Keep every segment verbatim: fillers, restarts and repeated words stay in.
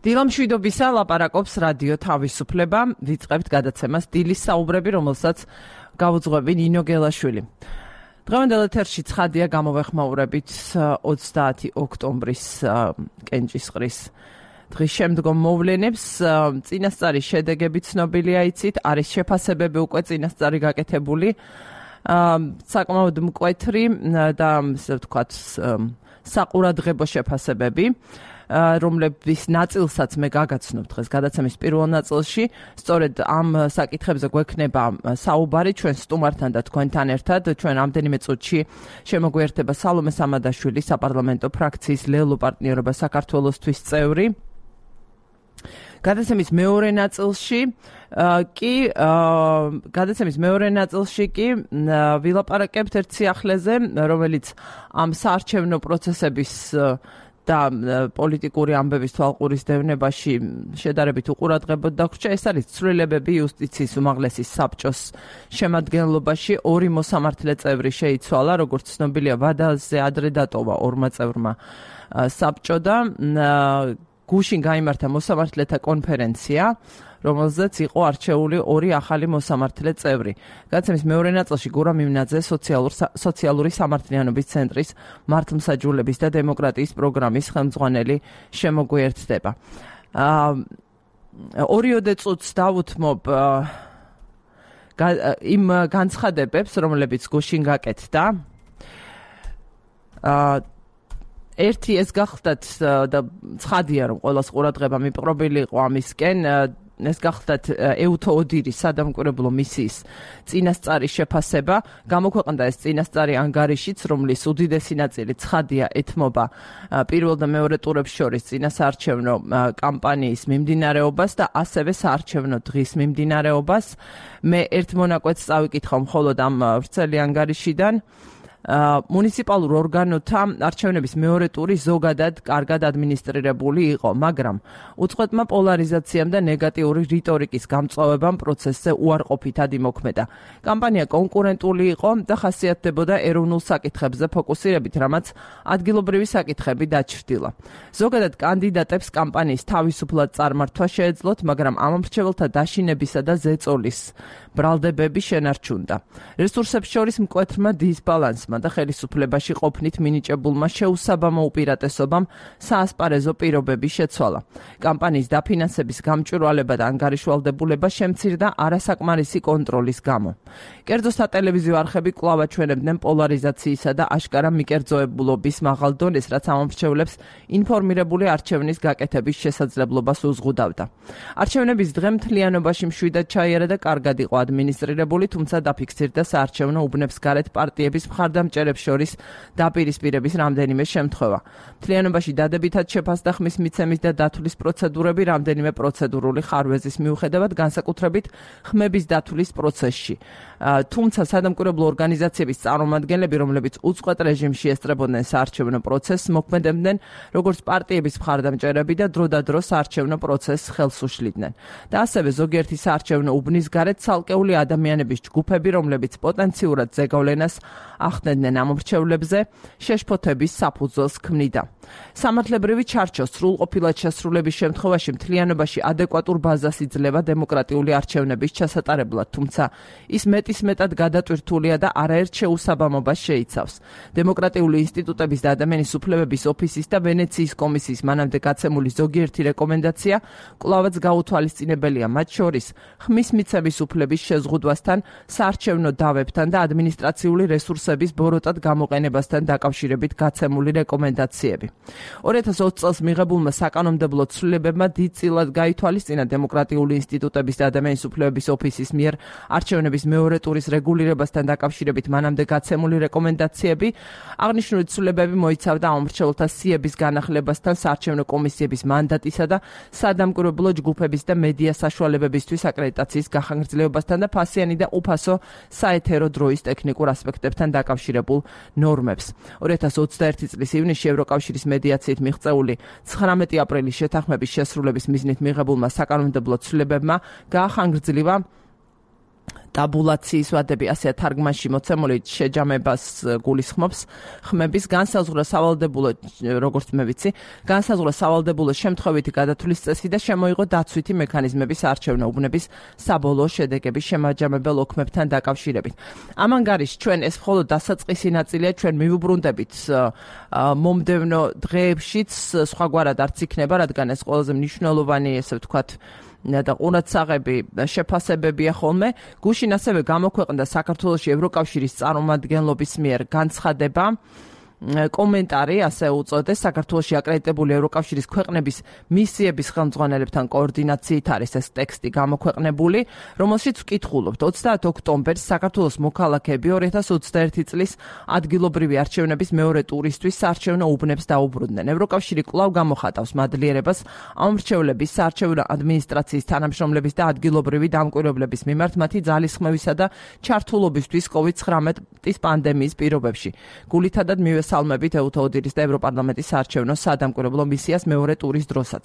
დილამშვიდობისა ლაპარაკობს რადიო თავისუფლება, ვიწყებთ გადაცემას დილის საუბრები, რომელსაც გავუძღვები ნინო გელაშვილი. დღევანდელ ეთერში ცხადია გამოვეხმაურებით ოცდაათი ოქტომბრის კენჭისყრის დღის შემდგომ მოვლენებს. წინასწარი შედეგები ცნობილია იცით, არის შეფასებები უკვე წინასწარი გაკეთებული, საკმაოდ მკვეთრი და ასე ვთქვათ საყურადღებო შეფასებები, რომლების ნაწილსაც მე გაგაცნობ დღეს გადაცემის პირველ ნაწილში. სწორედ ამ საკითხებზე გვექნება საუბარი ჩვენ სტუმართან და თქვენთან ერთად. ჩვენ რამდენიმე წუთში შემოგვიერთება სალომე სამადაშვილი, საპარლამენტო ფრაქციის ლელო პარტნიორობა საქართველოსთვის წევრი. გადაცემის მეორე ნაწილში კი გადაცემის მეორე ნაწილში კი ვილაპარაკებთ ერთ სიახლეზე, რომელიც ამ საარჩევნო პროცესების და პოლიტიკური ამბების თვალყურის დევნებაში შედარებით უყურადღებოდ დაგვრჩა. ეს არის ცვლილებები იუსტიციის უმაღლესი საბჭოს შემადგენლობაში. ორი მოსამართლე წევრი შეიცვალა, როგორც ცნობილია, ვადაზე ადრე დატოვა ორმა წევრმა საბჭო და გუშინ გაიმართა მოსამართლეთა კონფერენცია, რომელზეც იყო არჩეული ორი ახალი მოსამართლე წევრი. გადაცემის მეორე ნაწილში გურამ მიმნაძე სოციალური სამართლიანობის ცენტრის მართლმსაჯულების და დემოკრატიის პროგრამის ხელმძღვანელი შემოგვიერთდება. ორიოდე წუთს დავუთმობ იმ განცხადებებს, რომლებიც გუშინ გაკეთდა. ერთი ეს გახდათ და ცხადია, რომ ყოველას ყურადღება მიპყრობილი იყო ამისკენ, ეს გახდათ ეუთო ოდირის სადამკვირვებლო მისიის წინასწარი შეფასება. გამოქვეყნდა ეს წინასწარი ანგარიშიც, რომლის უდიდესი ნაწილი ცხადია ეთმობა პირველ და მეორე ტურებს შორის წინასაარჩევნო კამპანიის მიმდინარეობას და ასევე საარჩევნო დღის მიმდინარეობას. მე ერთ მონაკვეთს წავიკითხავ მხოლოდ ამ ვრცელი ანგარიშიდან. მუნიციპალურ ორგანოთა არჩევნების მეორე ტური ზოგადად კარგად ადმინისტრირებული იყო, მაგრამ უწყვეტმა პოლარიზაციამ და ნეგატიური რიტორიკის გამწვავებამ პროცესზე უარყოფითად იმოქმედა. კამპანია კონკურენტული იყო და ხასიათდებოდა ეროვნულ საკითხებზე ფოკუსირებით, რამაც ადგილობრივი საკითხები დაჩრდილა. ზოგადად კანდიდატებს კამპანიის თავისუფლად წარმართვა შეეძლოთ, მაგრამ ამ მრჩეველთა დაშინებისა და ზეწოლის ბრალდებები შენარჩუნდა. რესურსებს შორის მკვეთრმა დისბალანსმა და ხელისუფლებაში ყოფნით მინიჭებულმა შეუსაბამო უპირატესობამ საასპარეზო პირობები შეცვალა. კამპანიის დაფინანსების გამჭვირვალება და ანგარიშვალდებულება შემცირდა არასაკმარისი კონტროლის გამო. კერძო სატელევიზიო არხები კვლავ აჩვენებდნენ პოლარიზაციისა და აშკარა მიკერძოებულობის მაღალ დონეს, რაც ამომრჩევლებს ინფორმირებული არჩევნის გაკეთების შესაძლებლობას უზღუდავდა. არჩევნების დღე მთლიანობაში მშვიდად ჩაიარა და კარგად იყო ადმინისტრირებული, თუმცა დაფიქსირდა საარჩევნო უბნებს გარეთ პარტიების მხარდამჭერებს შორის დაპირისპირების რამდენიმე შემთხვევა. მთლიანობაში დადებითად შეფასდა ხმის მიცემის და დათვლის პროცედურები რამდენიმე პროცედურული ხარვეზის მიუხედავად, განსაკუთრებით ხმების დათვლის პროცესში. თუმცა სადამკვირვებლო ორგანიზაციების წარმომადგენლები, რომლებიც უწყვეტ რეჟიმში ესწრებოდნენ საარჩევნო პროცესს, მოქმედებდნენ როგორც პარტიების მხარდამჭერები და დროდადრო საარჩევნო პროცესს ხელს უშლიდნენ. და ასევე ზოგიერთი საარჩევნო უბნის გარეთ ცალკეული ადამიანების ჯგუფები, რომლებიც პოტენციურად ზეგავლენას ახდენდნენ ამომრჩევლებზე, შეშფოთების საფუძველს ქმნიდა. სამართლებრივი ჩარჩო სრულყოფილად შესრულების შემთხვევაში მთლიანობაში ადეკვატურ ბაზას იძლევა დემოკრატიული არჩევნების ჩასატარებლად, თუმცა ის მეტისმეტად გადატვირთულია და არაერთ შეუსაბამობას შეიცავს. დემოკრატიული ინსტიტუტების და ადამიანის უფლებების ოფისის და ვენეციის კომისიის მანამდე გაცემული ზოგიერთი რეკომენდაცია კვლავაც გაუთვალისწინებელია, მათ შორის ხმის მიცემის უფლების შეზღუდვასთან, საარჩევნო დავებთან და ადმინისტრაციული რესურსების ბოროტად გამოყენებასთან დაკავშირებით გაცემული რეკომენდაციები. ორი ათას ოცი წელს მიღებულმა საკანონმდებლო ცვლილებებმა დიდწილად გაითვალისწინა დემოკრატიული ინსტიტუტების და ადამიანის უფლებების ოფისის მიერ არჩევნების მეორე ტურის რეგულირებასთან დაკავშირებით მანამდე გაცემული რეკომენდაციები. აღნიშნული ცვლილებები მოიცავდა ამომრჩეველთა სიების განახლებასთან, საარჩევნო კომისიების მანდატისა და სადამკვირვებლო ჯგუფების და მედია საშუალებებისთვის აკრედიტაციის გახანგრძლივებასთან და ფასიანი და უფასო საეთერო დროის ტექნიკურ ასპექტებთან დაკავშირებულ ნორმებს. ორი ათას ოცდაერთი წლის ივნისში ევროკავშირის მედიაციით მიღწეული ცხრამეტი აპრილის შეთანხმების შესრულების მიზნით მიღებულმა საკანონმდებლო ცვლილებებმა გაახანგრძლივა ტაბულაციის ვადები, ასეა თარგმანში მოცემული შეჯამებას გულისხმობს. ხმების განსაზღვრა სავალდებულო, როგორც მე ვიცი, განსაზღვრა სავალდებულო შემთხვევითი გადათვლის წესი და შემოიღო დაცვითი მექანიზმების არჩევნა უბნების საბოლოო შედეგების შემაჯამებელ ოქმებთან დაკავშირებით. ამან გარიშ ჩვენ ეს მხოლოდ დასაწყისი ნაწილია, ჩვენ მივუბრუნდებით მომდევნო დღეებშიც სხვაგვარად არც იქნება, რადგან ეს ყველაზე მნიშვნელოვანი, ესე ვთქვათ, და ყურადსაღები შეფასებებია ხოლმე. გუშინ ასევე გამოქვეყნდა საქართველოში ევროკავშირის წარმომადგენლობის მიერ განცხადება, კომენტარი, ასე უწოდეს, საქართველოში აკრედიტებული ევროკავშირის ქვეყნების მისიების ხელმძღვანელებთან კოორდინაციით არის ეს ტექსტი გამოქვეყნებული, რომელშიც ვკითხულობთ ოცდაათი ოქტომბერს საქართველოს მოქალაქეები ორი ათას ოცდაერთი წლის ადგილობრივი არჩევნების მეორე ტურისთვის საარჩევნო უბნებს დაუბრუნდნენ. ევროკავშირი კვლავ გამოხატავს მადლიერებას ამრჩევლების საარჩევნო ადმინისტრაციის თანამშრომლების და ადგილობრივი დამკვირვებლების მიმართ მათი ძალისხმევისა და ჩართულობისთვის კოვიდ ცხრამეტის პანდემიის პირობებში. გულითადად მივესალმებით ეუთოოდირის და ევროპარლამენტის საარჩევნო სადამკვირვებლო მისიას მეორე ტურის დროსაც.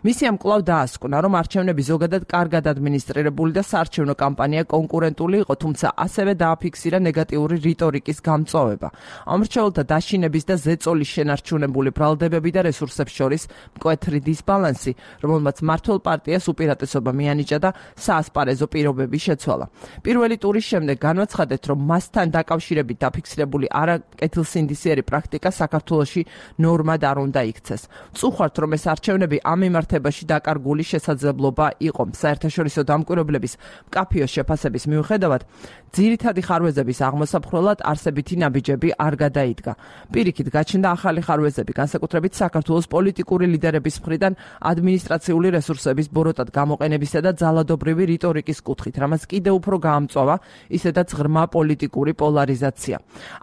მისიამ კვლავ დაასკვნა, რომ არჩევნები ზოგადად კარგად ადმინისტრირებული და საარჩევნო კამპანია კონკურენტული იყო, თუმცა ასევე დააფიქსირა ნეგატიური რიტორიკის გამწვავება. ამრჩეველთა დაშინების და ზეწოლის შენარჩუნებული ბრალდებები და რესურსებს შორის მკვეთრი დისბალანსი, რომელმაც მმართველ პარტიას უპირატესობა მიანიჭა და საასპარეზო პირობები შეცვალა. პირველი ტურის შემდეგ განვაცხადეთ, რომ მასთან დაკავშირებით დაფიქსირებული არაკეთილსინდისიერი პრაქტიკა საქართველოში ნორმად არ უნდა იქცეს. წუხართ, რომ ეს არჩევნები ამ მიმართებაში დაკარგული შესაძლებლობა იყო. საერთაშორისო დამკვირვებლების მკაფიო შეფასების მიუხედავად, ძირითადი ხარვეზების აღმოსაფხრელად არსებითი ნაბიჯები არ გადაიდგა. პირიქით, გაჩნდა ახალი ხარვეზები, განსაკუთრებით საქართველოს პოლიტიკური ლიდერების მხრიდან ადმინისტრაციული რესურსების ბოროტად გამოყენებისა და ძალადობრივი რიტორიკის კუთხით, რამაც კიდევ უფრო გაამწვავა ისედაც ღრმა პოლიტიკური პოლარიზაცია.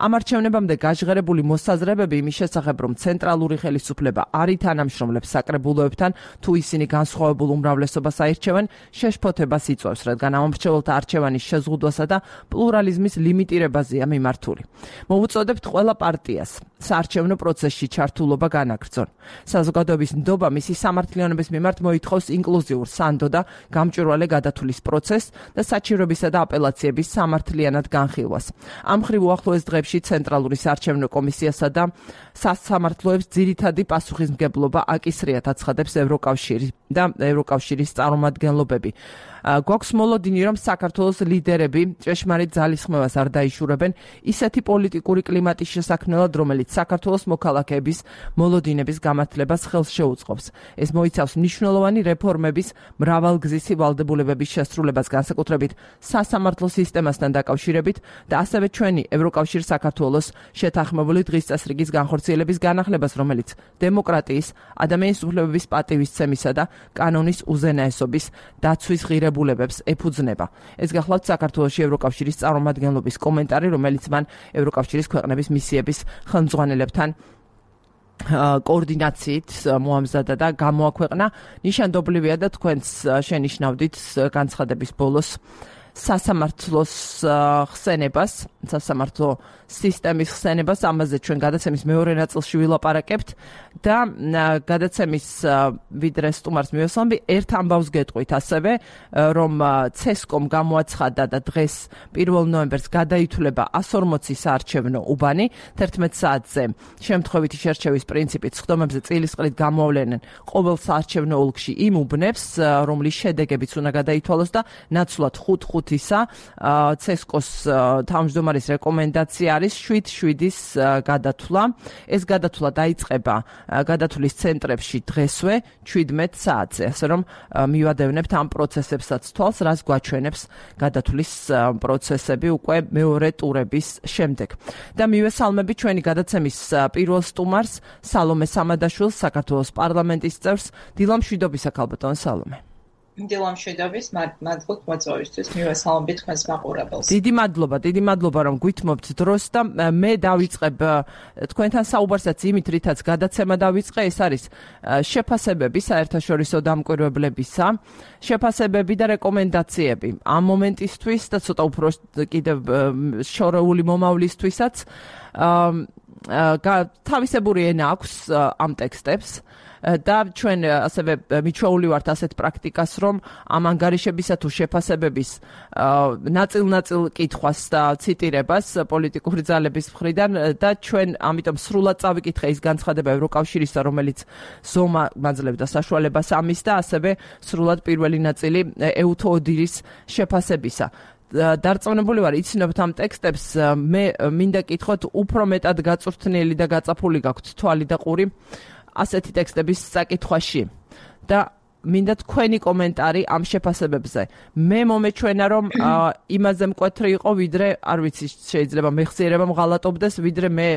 ამ არჩევნებამდე გაჟღერებული მოსაზრებები იმის შესახებ, რომ ცენტრალური ხელისუფლება არ ითანამშრომლებს საკრებულოებთან, თუ ისინი განსხვავებულ უმრავლესობას აირჩევენ, შეშფოთებას იწვევს, რადგან ამომრჩეველთა არჩევანის შეზღუდვასა და პლურალიზმის ლიმიტირებაზეა მიმართული. მოვუწოდებთ ყველა პარტიას საარჩევნო პროცესში ჩართულობა განაგრძონ. საზოგადოების ნდობა მისი სამართლიანობის მიმართ მოითხოვს ინკლუზიურ, სანდო და გამჭვირვალე გადათვლის პროცესს და საჩივრებისა და აპელაციების სამართლიანად განხილვას. ამ მხრივ უახლოეს დღეებში ცენტრალური საარჩევნო კომისიასა და სასამართლოებს ძირითადი პასუხისმგებლობა აკისრიათ აცხადებს ევროკავშირი და ევროკავშირის წარმომადგენლობები. გვაქვს მოლოდინი, რომ საქართველოს ლიდერები ჭეშმარიტ ძალისხმევას არ დაიშურებენ ისეთი პოლიტიკური კლიმატის შესაქმნელად, რომელიც საქართველოს მოქალაქეების მოლოდინების გამართლებას ხელს შეუწყობს. ეს მოიცავს მნიშვნელოვანი რეფორმების მრავალგზისი ვალდებულებების შესრულებას, განსაკუთრებით სასამართლო სისტემასთან დაკავშირებით და ასევე ჩვენი ევროკავშირ საქართველოს შეთანხმებული დღის წესრიგის განხორციელების განახლებას, რომელიც დემოკრატიის, ადამიანის უფლებების პატივისცემისა და კანონის უზენაესობის დაცვის ღირებულებებს�ეფუძნება. ეს გახლავთ საქართველოში ევროკავშირის წარმომადგენლობის კომენტარი, რომელიც მან ევროკავშირის ქვეყნების მისიების ხელმძღვანელებთან კოორდინაციით მოამზადა და გამოაქვეყნა. ნიშანდობლივია და თქვენც შენიშნავდით განცხადების ბოლოს სასამართლოს ხსენებას, სასამართლო სისტემის ხსენებას, ამაზე ჩვენ გადაცემის მეორე ნაწილში ვილაპარაკებთ და გადაცემის ვიდრე სტუმარს მივესალმები, ერთ ამბავს გეტყვით ასევე, რომ ცესკომ გამოაცხადა და დღეს პირველ ნოემბერს გადაითვლება ასი ორმოცი საარჩევნო უბანი, თერთმეტ საათზე შემთხვევითი შერჩევის პრინციპით სხდომებზე წილისყრით გამოავლენენ ყოველ საარჩევნო ოლქში იმ უბნებს, რომლის შედეგებიც უნდა გადაითვალოს და ნაცვლად ხუთ ხუთისა ცესკოს თავმჯდომარის რეკომენდაცია არის შვიდ შვიდის გადათვლა. ეს გადათვლა დაიწყება გადათვლის ცენტრებში დღესვე ჩვიდმეტ საათზე, ასე რომ მივადევნებთ ამ პროცესებსაც თვალს, რაც გვაჩვენებს გადათვლის პროცესები უკვე მეორე ტურების შემდეგ. და მივესალმები ჩვენი გადაცემის პირველ სტუმარს, სალომე სამადაშვილს, საქართველოს პარლამენტის წევრს. დილა მშვიდობისა, ქალბატონო სალომე. დილა მშვიდობის, მადლობთ მოწვევისთვის, მივესალმებით თქვენს მაყურებელს. დიდი მადლობა, დიდი მადლობა, რომ გვითმობთ დროს და მე დავიწყებ თქვენთან საუბარსაც იმით, რითაც გადაცემა დავიწყე, ეს არის შეფასებები საერთაშორისო დამკვირვებლებისა, შეფასებები და რეკომენდაციები ამ მომენტისთვის და ცოტა უფრო კიდევ შორეული მომავლისთვისაც. თავისებური ენა აქვს ამ ტექსტებს და ჩვენ ასევე მიჩვეული ვართ ასეთ პრაქტიკას, რომ ამ ანგარიშებისა თუ შეფასებების ნაწილ-ნაწილ კითხვას და ციტირებას პოლიტიკური ძალების მხრიდან და ჩვენ ამიტომ სრულად წავიკითხე ის განცხადება ევროკავშირისა, რომელიც ზომა მაძლევდა საშუალებას ამის და ასევე სრულად პირველი ნაწილი ეუთო ოდირის შეფასებისა. დარწმუნებული ვარ, იცნობთ ამ ტექსტებს, მე მინდა კითხოთ, უფრო მეტად გაწვრთნილი და გაწაფული გაქვთ თვალი და ყური ასეთი ტექსტების საკითხვაში და მინდა თქვენი კომენტარი ამ შეფასებებზე. მე მომეჩვენა, რომ იმაზე მკვეთრი იყო, ვიდრე, არ ვიცი, შეიძლება მეხსიერება მღალატობდეს, ვიდრე მე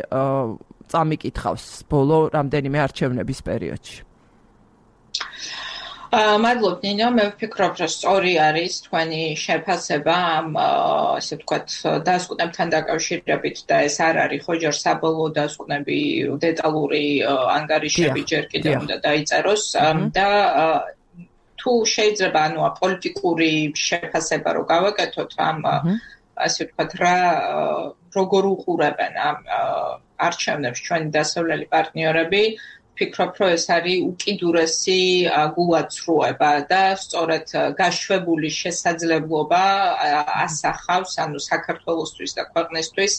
წამიკითხავს ბოლო რამდენიმე არჩევნების პერიოდში. მადლობ ნინო, მე ვფიქრობ, რომ სწორი არის თქვენი შეფასება ამ ასე ვთქვათ დასკვნებთან დაკავშირებით და ეს არ არის ხო ჯერ საბოლოო დასკვნები, დეტალური ანგარიშები ჯერ კიდევ უნდა დაიწეროს და თუ შეიძლება ანუ პოლიტიკური შეფასება რო გავაკეთოთ ამ ასე ვთქვათ რა როგორ უყურებენ ამ არჩევნებს ჩვენი დასავლელი პარტნიორები, ვფიქრობ, რომ ეს არის უკიდურესი გულაცრუება და სწორედ გაშვებული შესაძლებლობა ასახავს, ანუ საქართველოსთვის და ქვეყნისთვის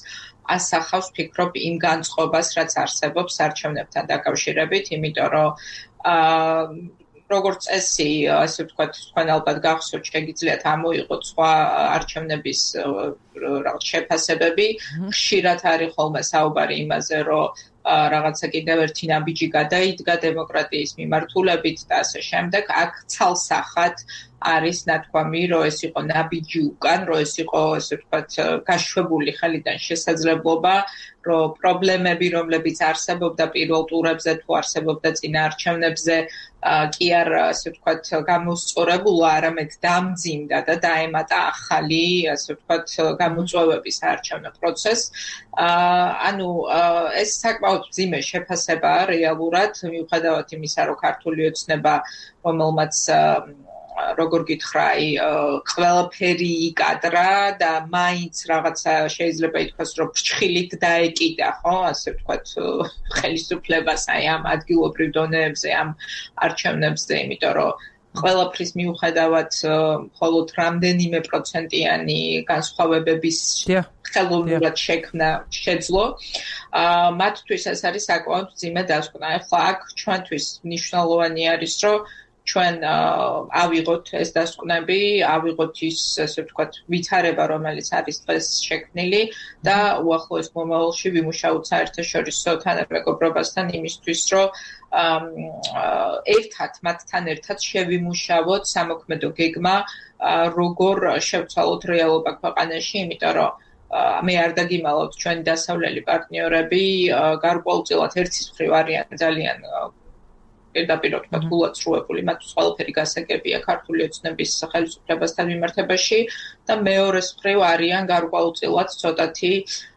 ასახავს, ვფიქრობ, იმ განწყობას, რაც არსებობს არჩევნებთან დაკავშირებით, იმიტომ რომ როგორც წესი, ასე ვთქვათ, თქვენ ალბათ გახსოვთ, შეგიძლიათ ამოიღოთ სხვა არჩევნების რაღაც შეფასებები, ხშირად არის ხოლმე საუბარი იმაზე, რომ რაღაცა კიდევ ერთი ნაბიჯი გადაიდგა დემოკრატიის მიმართულებით და ასე შემდეგ. აქ ცალსახად არის ნათქვამი, რომ ეს იყო ნაბიჯი უკან, რომ ეს იყო, ასე ვთქვათ, გაშვებული ხელიდან შესაძლებლობა, რომ პრობლემები, რომლებიც არსებობდა პირველ ტურებზე თუ არსებობდა წინა არჩევნებზე, კი არ, ასე ვთქვათ, გამოსწორებულა, არამედ დამძიმდა და დაემატა ახალი, ასე ვთქვათ, გამოწვევების საარჩევნო პროცესს. ანუ ეს საკმაოდ მძიმე შეფასებაა რეალურად, მიუხედავად იმისა, რომ ქართული ოცნება, რომელმაც როგორ გითხრა, ყველაფერი იკადრა და მაინც რაღაცა შეიძლება ითქვას, რომ ფრჩხილით დაეკიდა, ხო, ასე ვთქვათ, ხელისუფლებას აი ამ ადგილობრივ დონეებზე, ამ არჩევნებზე, იმიტომ რომ ყველაფრის მიუხედავად მხოლოდ რამდენიმე პროცენტიანი განსხვავებების ხელოვნურად შექმნა შეძლო. მათთვის ეს არის საკმაოდ მძიმე დასკვნა. ახლა აქ ჩვენთვის მნიშვნელოვანი არის, რომ ჩვენ ავიღოთ ეს დასკვნები, ავიღოთ ის, ასე ვთქვათ, ვითარება, რომელიც არის დღეს შექმნილი და უახლოეს მომავალში ვიმუშაოთ საერთაშორისო თანამეგობრობასთან იმისთვის, რომ ერთად, მათთან ერთად შევიმუშავოთ სამოქმედო გეგმა, როგორ შევცვალოთ რეალობა ქვეყანაში, იმიტომ რომ მე არ დაგიმალავთ ჩვენი დასავლელი პარტნიორები გარკვეულწილად ერთის მხრივ არიან ძალიან პირდაპირ ვთქვათ გულაცრუებული, მათთვის ყველაფერი გასაგებია ქართული ოცნების ხელისუფლებასთან მიმართებაში და მეორეს მხრივ არიან გარკვეულწილად ცოტათი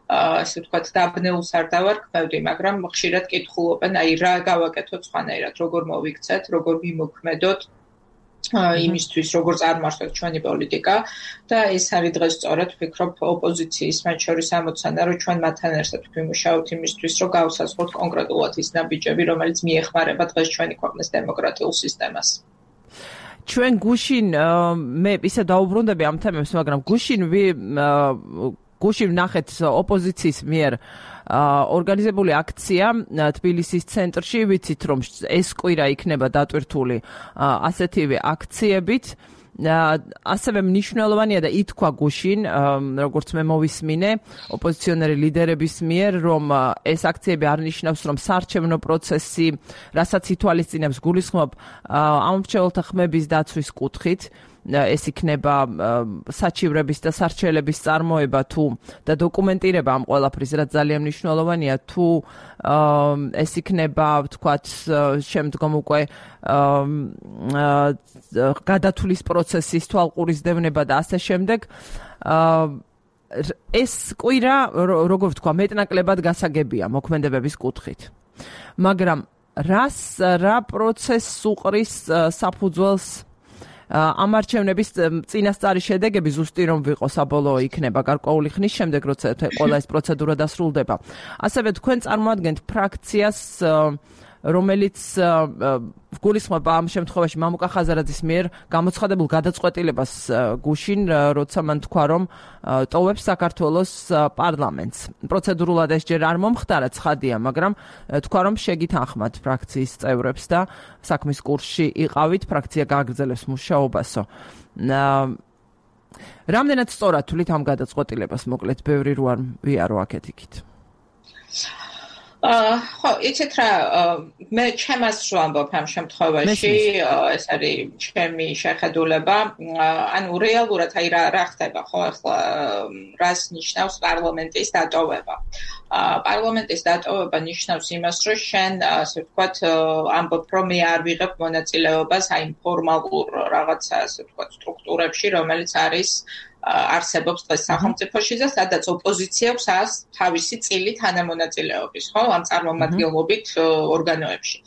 ასე ვთქვათ დაბნეულს არ დავარქმევდი, მაგრამ ხშირად კითხულობენ, აი რა გავაკეთოთ სხვანაირად, როგორ მოვიქცეთ, როგორ ვიმოქმედოთ იმისთვის, როგორ წარმართოთ ჩვენი პოლიტიკა და ეს არის დღეს სწორედ ვფიქრობ ოპოზიციის მათ შორის ამოცანა, რომ ჩვენ მათთან ერთად ვიმუშაოთ იმისთვის, რომ გავსაზღვროთ კონკრეტულად ის ნაბიჯები, რომელიც მიეხმარება დღეს ჩვენი ქვეყნის დემოკრატიულ სისტემას. ჩვენ გუშინ მე ისე დაუბრუნდები ამ თემებს, მაგრამ გუშინ გუშინ ვნახეთ ოპოზიციის მიერ ორგანიზებული აქცია თბილისის ცენტრში, ვიცით რომ ეს კვირა იქნება დატვირთული ასეთივე აქციებით. ასევე მნიშვნელოვანია და ითქვა გუშინ, როგორც მე მოვისმინე, ოპოზიციონერი ლიდერების მიერ, რომ ეს აქციები არ ნიშნავს, რომ საარჩევნო პროცესი, რასაც ითვალისწინებს გულისხმობ ამომრჩეველთა ხმების დაცვის კუთხით, ეს იქნება საჩივრების და სარჩელების წარმოება თუ და დოკუმენტირება ამ ყველაფრის, რაც ძალიან მნიშვნელოვანია, თუ ეს იქნება, ვთქვათ, შემდგომ უკვე გადათვლის პროცესის თვალყურისდევნება და ასე შემდეგ. ეს კვირა, როგორ ვთქვა, მეტნაკლებად გასაგებია მოქმედებების კუთხით. მაგრამ რას რა პროცესს უყრის საფუძველს ამ არჩევნების წინასწარი შედეგები ზუსტი რომ ვიყო საბოლოო იქნება გარკვეული ხნის შემდეგ, როცა ყველა ეს პროცედურა დასრულდება. ასევე თქვენ წარმოადგენთ ფრაქციას, რომელიც გულისხმობა ამ შემთხვევაში მამუკა ხაზარაძის მიერ გამოცხადებულ გადაწყვეტილებას გუშინ, როცა მან თქვა, რომ ტოვებს საქართველოს პარლამენტს. პროცედურულად ეს ჯერ არ მომხდარა, ცხადია, მაგრამ თქვა, რომ შეგითანხმათ ფრაქციის წევრებს და საქმის კურსში იყავით, ფრაქცია გააგრძელებს მუშაობასო. რამდენად სწორად თვლით ამ გადაწყვეტილებას, მოკლედ, ბევრი რო არ ვიარო აქეთ იქით. ხო, იცით რა, მე ჩემს რო ამბობ ამ შემთხვევაში, ეს არის ჩემი შეხედულება, ანუ რეალურად აი რა რა ხდება, ხო, ახლა რას ნიშნავს პარლამენტის დატოვება. პარლამენტის დატოვება ნიშნავს იმას, რომ შენ, ასე ვთქვათ, ამბობ, რომ მე არ ვიღებ მონაწილეობას აი ფორმალურ რაღაცა, ასე ვთქვათ, სტრუქტურებში, რომელიც არის არსებობს დღეს სახელმწიფოში და სადაც ოპოზიცია აქვს თავისი წილი თანამონაწილეობის, ხო, ამ წარმომადგენლობით ორგანოებში.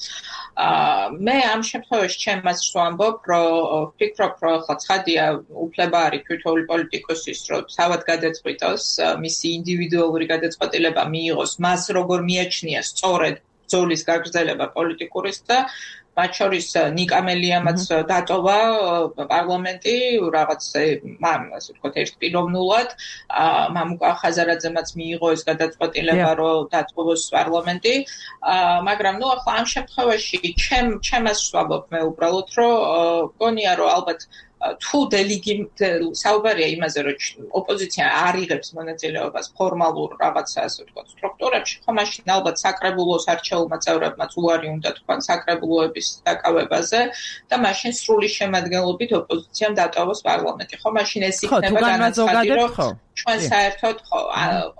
მე ამ შემთხვევაში ჩემს რო ამბობ, რომ ვფიქრობ, რომ ახლა ცხადია უფლება არის თითოეული პოლიტიკოსის, რომ თავად გადაწყვიტოს, მისი ინდივიდუალური გადაწყვეტილება მიიღოს, მას როგორ მიაჩნია სწორედ ბრძოლის გაგრძელება პოლიტიკურის და მათ შორის ნიკა მელიამაც დატოვა პარლამენტი რაღაც ასე ვთქვათ ერთპიროვნულად, მამუკა ხაზარაძემაც მიიღო ეს გადაწყვეტილება, რომ დატოვოს პარლამენტი, მაგრამ ნუ ახლა ამ შემთხვევაში ჩემ ჩემს ვამბობ მე უბრალოდ, რომ გონია, რომ ალბათ თუ დელიგი საუბარია იმაზე, რომ ოპოზიცია არ იღებს მონაწილეობას ფორმალურ რაღაცა ასე ვთქვათ სტრუქტურებში, ხო მაშინ ალბათ საკრებულოს არჩეულმა წევრებმაც უარი უნდა თქვან საკრებულოების დაკავებაზე და მაშინ სრული შემადგენლობით ოპოზიციამ დატოვოს პარლამენტი. ხო მაშინ ეს იქნება განაცხადი, რომ ჩვენ საერთოდ ხო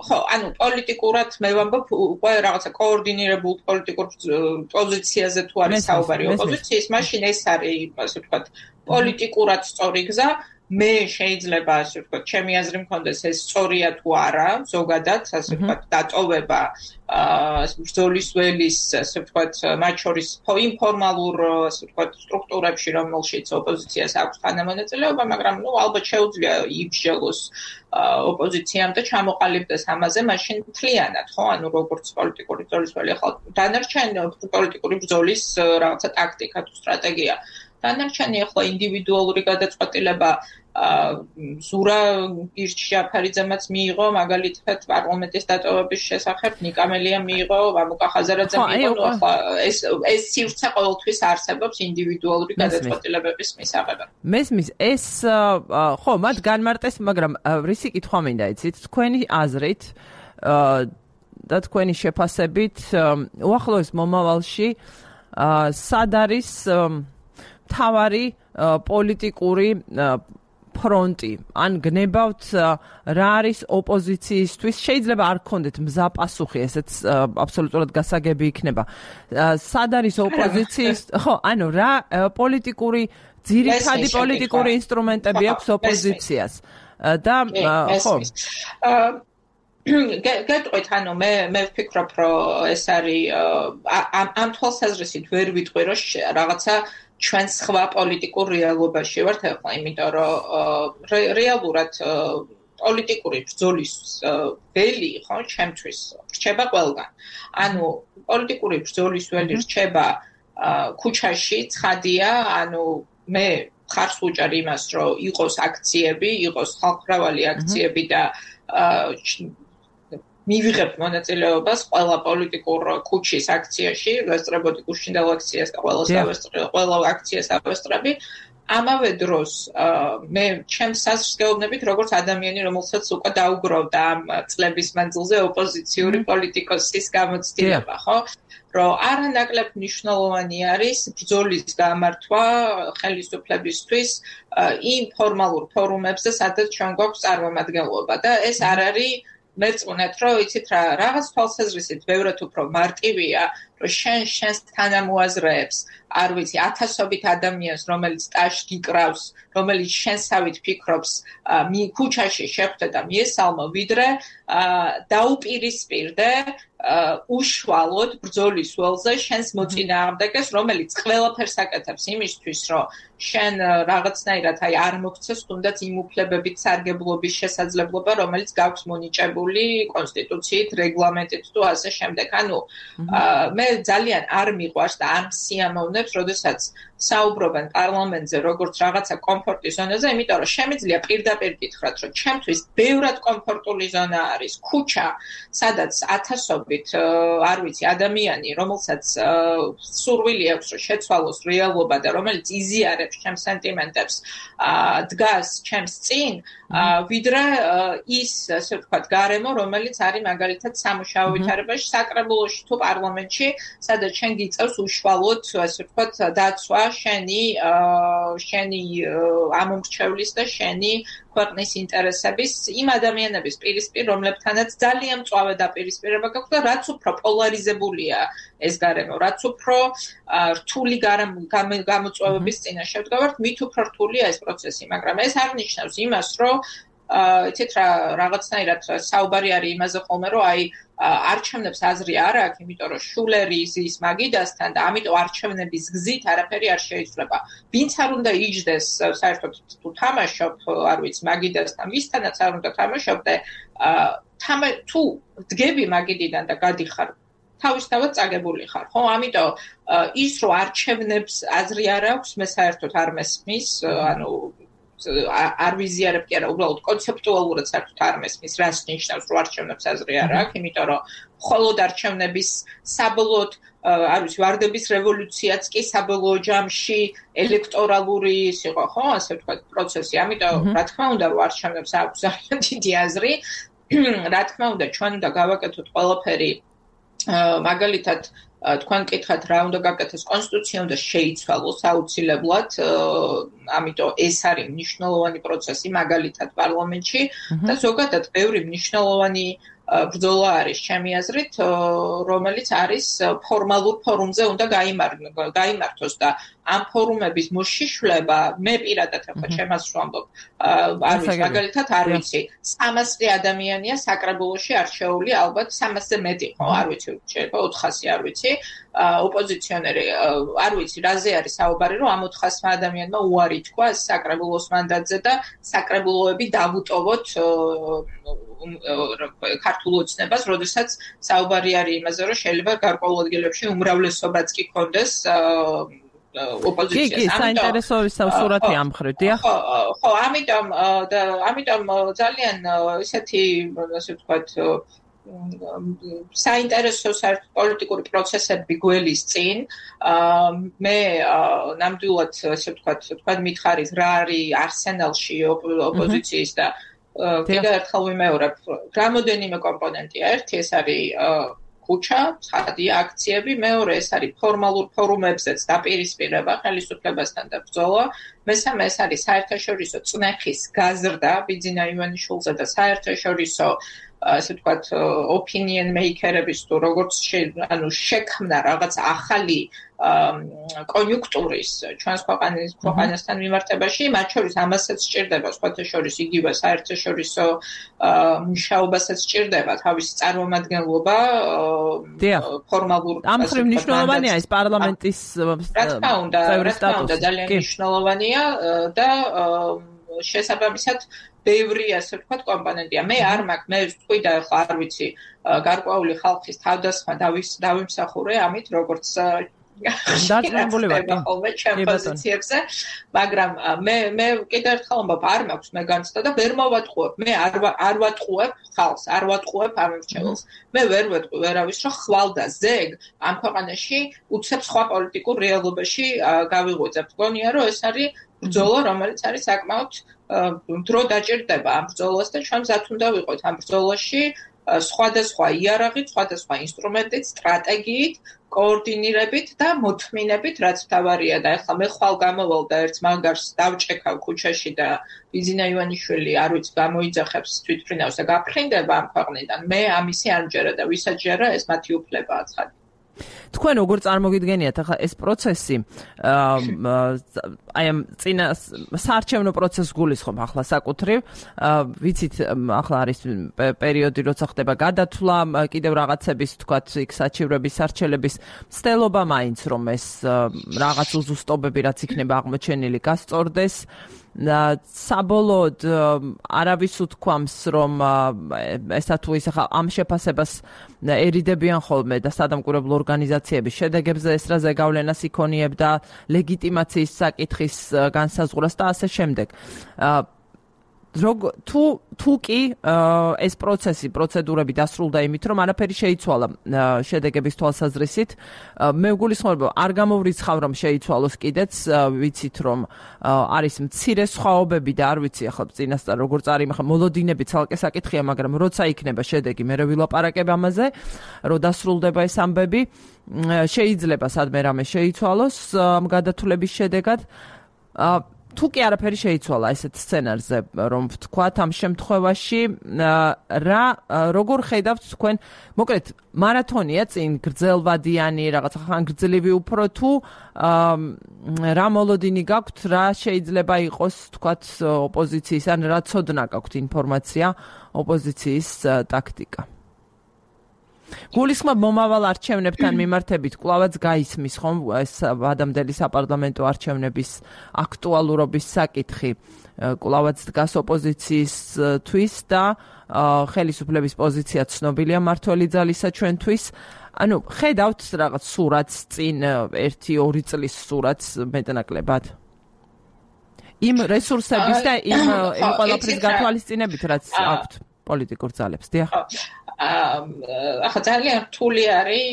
ხო ანუ პოლიტიკურად მე ვამბობ უკვე რაღაცა კოორდინირებულ პოლიტიკურ პოზიციაზე თუ არის საუბარი ოპოზიციის, მაშინ ეს არის ასე ვთქვათ პოლიტიკურად სწორი გზა. მე შეიძლება ასე ვთქვათ, ჩემი აზრი მქონდეს ეს სწორია თუ არა, ზოგადად ასე ვთქვათ, დატოვება ბრძოლის ველის ასე ვთქვათ, მათ შორის ინფორმალურ ასე ვთქვათ სტრუქტურებში, რომელშიც ოპოზიციას აქვს თანამონაწილეობა, მაგრამ ნუ ალბათ შეუძლია იბრძოლოს ოპოზიციამ და ჩამოყალიბდეს ამაზე, მაშინ მთლიანად, ხო, ანუ როგორც პოლიტიკური ბრძოლის ველი, ახლა დანარჩენი პოლიტიკური ბრძოლის რაღაცა ტაქტიკა თუ სტრატეგია. დანარჩენი ახლა ინდივიდუალური გადაწყვეტილება ზურა ირჩიაფარიძემაც მიიღო, მაგალითად პარლამენტის დატოვების შესახებ ნიკა მელიამ მიიღო, მამუკა ხაზარაძემ მიიღო, ახლა ეს ეს სივრცე ყოველთვის არსებობს ინდივიდუალური გადაწყვეტილებების მისაღებად. მესმის ეს ხო, მათ განმარტეს, მაგრამ რისი კითხვა მინდა იცით, თქვენი აზრით და თქვენი შეფასებით უახლოეს მომავალში სად არის მთავარი პოლიტიკური ფრონტი, ან გნებავთ რა არის ოპოზიციისთვის, შეიძლება არ გქონდეთ მზა პასუხი, ესეც აბსოლუტურად გასაგები იქნება. სად არის ოპოზიციის, ხო, ანუ რა პოლიტიკური ძირითადი პოლიტიკური ინსტრუმენტები აქვს ოპოზიციას და ხო გეტყვით, ანუ მე მე ვფიქრობ, რომ ეს არის ამ თვალსაზრისით ვერ ვიტყვი, რომ რაღაცა ჩვენ სხვა პოლიტიკურ რეალობაში ვართ ახლა, იმიტომ რომ რეალურად პოლიტიკური ბრძოლის ველი, ხო, ჩემთვის რჩება ყველგან. ანუ პოლიტიკური ბრძოლის ველი რჩება ქუჩაში, ცხადია, ანუ მე ხარს უჭერ იმას, რომ იყოს აქციები, იყოს ხალხმრავალი აქციები და მივიღებ მონაწილეობას ყველა პოლიტიკურ ქუჩის აქციაში, ვესწრებოდი გუშინდელ აქციას და ყველა დავესწრები, ყველა აქციას დავესწრები. ამავე დროს მე ჩემს საზრს გეუბნებით, როგორც ადამიანი, რომელსაც უკვე დაუგროვდა ამ წლების მანძილზე ოპოზიციური პოლიტიკოსის გამოცდილება, ხო? რომ არანაკლებ მნიშვნელოვანი არის ბრძოლის გამართვა ხელისუფლებისთვის იმ ფორმალურ ფორუმებზე, სადაც ჩვენ გვაქვს წარმომადგენლობა და ეს არ არის მერწმუნეთ, რომ იცით რა, რაღაც თვალსაზრისით ბევრად უფრო მარტივია რომ შენ შენს თანამოაზრეებს არ ვიცი ათასობით ადამიანს რომელიც ტაშ გიკრავს რომელიც შენსავით ფიქრობს მი ქუჩაში შეხვდე და მიესალმო ვიდრე დაუპირისპირდე უშუალოდ ბრძოლის ველზე შენს მოწინააღმდეგეს რომელიც ყველაფერს აკეთებს იმისთვის რომ შენ რაღაცნაირად აი არ მოგცეს თუნდაც იმ უფლებებით სარგებლობის შესაძლებლობა რომელიც გაქვს მონიჭებული კონსტიტუციით რეგლამენტით თუ ასე შემდეგ ანუ მე ძალიან არ მიყვარს და არ მსიამოვნებს როდესაც საუბრობენ პარლამენტზე როგორც რაღაცა კომფორტის ზონაზე იმიტომ რომ შემიძლია პირდაპირ გითხრათ რომ ჩემთვის ბევრად კომფორტული ზონა არის ქუჩა სადაც ათასობით არ ვიცი ადამიანი რომელსაც სურვილი აქვს რომ შეცვალოს რეალობა და რომელიც იზიარებს ჩემს სენტიმენტებს დგას ჩემს წინ ვიდრე ის ასე ვთქვათ გარემო რომელიც არის მაგალითად სამუშაო ვითარებაში საკრებულოში თუ პარლამენტში სადაც შენ გიწევს უშუალოდ ასე ვთქვათ დაცვა შენი შენი ამომრჩევლის და შენი ქვეყნის ინტერესების იმ ადამიანების პირისპირ რომლებთანაც ძალიან მწვავე დაპირისპირება გაქვს და რაც უფრო პოლარიზებულია ეს გარემო რაც უფრო რთული გამოწვევების წინაშე ვდგავართ მით უფრო რთულია ეს პროცესი მაგრამ ეს არ ნიშნავს იმას რომ იცით რა რაღაცნაირად საუბარი არის იმაზე ხოლმე რომ აი არჩევნებს აზრი არ აქვს, იმიტომ რომ შულერი ზის მაგიდასთან და ამიტომ არჩევნების გზით არაფერი არ შეიძლება. ვინც არ უნდა იჯდეს საერთოდ თუ თამაშობ, არ ვიცი, მაგიდასთან, ვისთანაც არ უნდა თამაშობ და თუ დგები მაგიდიდან და გადიხარ თავისთავად წაგებული ხარ, ხო? ამიტომ ის რომ არჩევნებს აზრი არ აქვს, მე საერთოდ არ მესმის, ანუ არ ვიზიარებ კი არა, უბრალოდ კონცეპტუალურად საერთოდ არ მესმის, რას ნიშნავს რომ არჩევნებს აზრი არ აქვს, იმიტომ რომ მხოლოდ არჩევნების საბოლოოდ არ ვიცი, ვარდების რევოლუციაც კი საბოლოო ჯამში ელექტორალური ის იყო, ხო, ასე ვთქვათ, პროცესი. ამიტომ რა თქმა უნდა, რომ არჩევნებს აქვს ძალიან დიდი აზრი, რა თქმა უნდა, ჩვენ უნდა გავაკეთოთ ყველაფერი მაგალითად თქვენ კითხავთ რა უნდა გაკეთოს კონსტიტუცია უნდა შეიცვალოს აუცილებლად ამიტომ ეს არის მნიშვნელოვანი პროცესი მაგალითად პარლამენტში და ზოგადად ბევრი მნიშვნელოვანი ბრძოლა არის ჩემი აზრით რომელიც არის ფორმალურ ფორუმზე უნდა გაიმართოს და ამ ფორუმების მოშიშვლება მე პირადად ახლა ჩემას ვამბობ არ ვიცი მაგალითად არ ვიცი სამასი ადამიანია საკრებულოში არჩეული ალბათ სამასზე მეტი ხო არ ვიცი შეიძლება ოთხასი არ ვიცი ოპოზიციონერი არ ვიცი რაზე არის საუბარი რომ ამ ოთხასმა ადამიანმა უარი თქვა საკრებულოს მანდატზე და საკრებულოები დავუტოვოთ ქართულ ოცნებას, როდესაც საუბარი არის იმაზე, რომ შეიძლება გარკვეულ ადგილებში უმრავლესობაც კი კონდეს ოპოზიციას. კი, კი, საინტერესო სურათი ამ მხრივ, დიახ. ხო, ხო, ამიტომ და ამიტომ ძალიან ესეთი, ასე ვთქვათ, საინტერესო პოლიტიკური პროცესები გველის წინ მე ნამდვილად ასე ვთქვათ, თქვენ მითხარით რა არის არსენალში ოპოზიციის და კიდევ ერთხელ ვიმეორებ, რამოდენიმე კომპონენტია. ერთი ეს არის ქუჩა, ცხადია, აქციები, მეორე ეს არის ფორმალურ ფორუმებზეც დაპირისპირება ხელისუფლებასთან და ბრძოლა, მესამე ეს არის საერთაშორისო წნეხის გაზრდა ბიძინა ივანიშვილზე და საერთაშორისო ასე ვთქვათ, opinion maker-ების თუ როგორც ანუ შექმნა რაღაც ახალი კონიუნქტურის ჩვენს ქვეყნის ქვეყანასთან მიმართებაში, მათ შორის ამასაც სჭირდება, სხვათა შორის იგივე საერთაშორისო მუშაობასაც სჭირდება თავისი წარმომადგენლობა ფორმალურ ამ მხრივ მნიშვნელოვანია ეს პარლამენტის რა თქმა უნდა, რა თქმა უნდა, ძალიან მნიშვნელოვანია და შესაბამისად ბევრი ასე ვთქვათ კომპონენტია. მე არ მაქვს, მე ვთქვი და ახლა არ ვიცი, გარკვეული ხალხის თავდასხმა დავიმსახურე ამით, როგორც დაძრებული ვარ ხოლმე ჩემ პოზიციებზე, მაგრამ მე მე კიდევ ერთხელ ვამბობ, არ მაქვს მე განცდა და ვერ მოვატყუებ. მე არ არ ვატყუებ ხალხს, არ ვატყუებ ამორჩეულს. მე ვერ ვეტყვი ვერავის, რომ ხვალ და ზეგ ამ ქვეყანაში უცებ სხვა პოლიტიკურ რეალობაში გავიღვიძებ. გონია, რომ ეს არის ბრძოლა, რომელიც არის საკმაოდ დრო დაჭირდება ამ ბრძოლას და ჩვენ მზად უნდა ვიყოთ ამ ბრძოლაში სხვადასხვა იარაღით, სხვადასხვა ინსტრუმენტით, სტრატეგიით, კოორდინირებით და მოთმინებით, რაც თავარია და ახლა მე ხვალ გამოვალ და ერთ მაგარს დავჭექავ ქუჩაში და ბიძინა ივანიშვილი არ ვიცი გამოიძახებს თვითმფრინავს და გაფრინდება ამ ქვეყნიდან. მე ამისი არ მჯერა და ვისაც ჯერა ეს მათი უფლებაა ცხადია. თქვენ როგორ წარმოგიდგენიათ ახლა ეს პროცესი აი ამ წინა საარჩევნო პროცესს გულისხმობ ახლა საკუთრივ ვიცით ახლა არის პერიოდი როცა ხდება გადათვლა კიდევ რაღაცების თქვათ იქ საჩივრების სარჩელების მცდელობა მაინც რომ ეს რაღაც უზუსტობები რაც იქნება აღმოჩენილი გასწორდეს საბოლოოდ არავის უთქვამს რომ ესა თუ ის ახლა ამ შეფასებას ერიდებიან ხოლმე და სადამკვირვებლო ორგანიზაციების შედეგებზე ესრაზე გავლენას იქონიებდა ლეგიტიმაციის საკითხის განსაზღვრას და ასე შემდეგ Rog თუ თუ კი ეს პროცესი პროცედურები დასრულდა იმით რომ არაფერი შეიცვალა შედეგების თვალსაზრისით მე ვგულისხმობ არ გამოვრიცხავ რომ შეიცვალოს კიდეც ვიცით რომ არის მცირე სხვაობები და არ ვიცი ახლა წინასწარ როგორ წარიმახა მოლოდინები ცალკე საკითხია მაგრამ როცა იქნება შედეგი მე ვილაპარაკებ ამაზე რომ დასრულდება ეს ამბები შეიძლება სადმე რამე შეიცვალოს გადათვლების შედეგად თუ კი არაფერი შეიცვალა ესეთ სცენარზე რომ ვთქვათ ამ შემთხვევაში რა როგორ ხედავთ თქვენ მოკლედ მარათონია წინ გრძელვადიანი რაღაც ხან გრძლივი უფრო თუ რა მოლოდინი გაქვთ რა შეიძლება იყოს ვთქვათ ოპოზიციის ან რა ცოდნა გაქვთ ინფორმაცია ოპოზიციის ტაქტიკა გულისხმობ მომავალ არჩევნებთან მიმართებით კვლავაც გაისმის ხომ ეს ადამიანელი საპარლამენტო არჩევნების აქტუალურობის საკითხი კვლავაც დგას ოპოზიციისთვის და ხელისუფლების პოზიცია ცნობილია მართველი ძალისა ჩვენთვის ანუ ხედავთ რაღაც სურათს წინ ერთი ორი წლის სურათს მეტნაკლებად იმ რესურსების და იმ იმ ყველაფრის გათვალისწინებით რაც აქვთ პოლიტიკურ ძალებს დიახ ახლა ძალიან რთული არის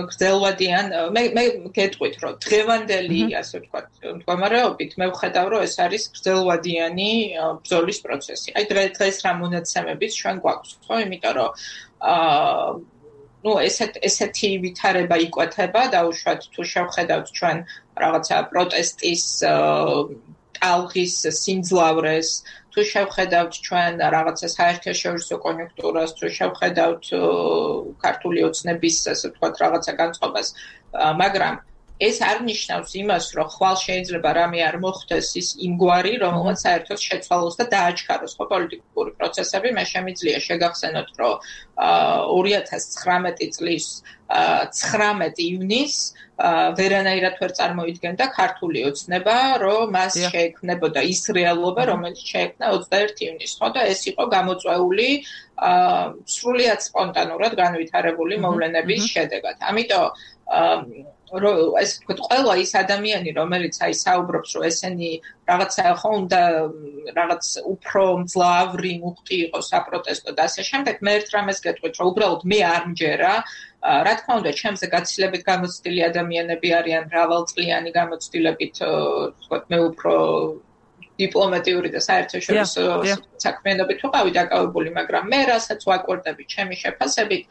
გრძელვადიან მე მე გეტყვით რომ დღევანდელი ასე ვთქვათ მდგომარეობით მე ვხედავ რომ ეს არის გრძელვადიანი ბრძოლის პროცესი აი დღეს რა მონაცემებიც ჩვენ გვაქვს ხო იმიტომ რომ აა ну ესეთ ესეთი ვითარება იკვეთება დაუშვათ თუ შევხედავთ ჩვენ რაღაცა პროტესტის ალღის სიმძლავრეს თუ შევხედავთ ჩვენ რაღაცა საერთაშორისო კონიუნქტურას თუ შევხედავთ ქართული ოცნების ასე ვთქვათ რაღაცა განწყობას მაგრამ ეს არ ნიშნავს იმას რომ ხვალ შეიძლება რამე არ მოხდეს ის იმგვარი რომელსაც საერთოდ შეცვალოს და დააჩქაროს ხო პოლიტიკური პროცესები მე შემიძლია შეგახსენოთ რომ ორი ათას ცხრამეტი წლის ცხრამეტი ივნისს ვერანაირად ვერ წარმოიდგენდა ქართული ოცნება რომ მას შეექმნებოდა ის რეალობა რომელიც შეექმნა ოცდაერთი ივნისს ხო და ეს იყო გამოწვეული სრულიად სპონტანურად განვითარებული მოვლენების შედეგად ამიტომ რომ ეს თქვა ყველა ის ადამიანი რომელიც აი საუბრობს რომ ესენი რაღაცა ხო უნდა რაღაც უფრო მძლავრი მუხტი იყოს საპროტესტო და ასე შემდეგ მე ერთ რამეს გეტყვით რომ უბრალოდ მე არ მჯერა რა თქმა უნდა ჩემზე გაცილებით გამოცდილი ადამიანები არიან მრავალწლიანი გამოცდილებით თქვა მე უფრო დიპლომატიური და საერთაშორისო საქმიანობით ვიყავი დაკავებული მაგრამ მე რასაც ვაკვირდები ჩემი შეფასებით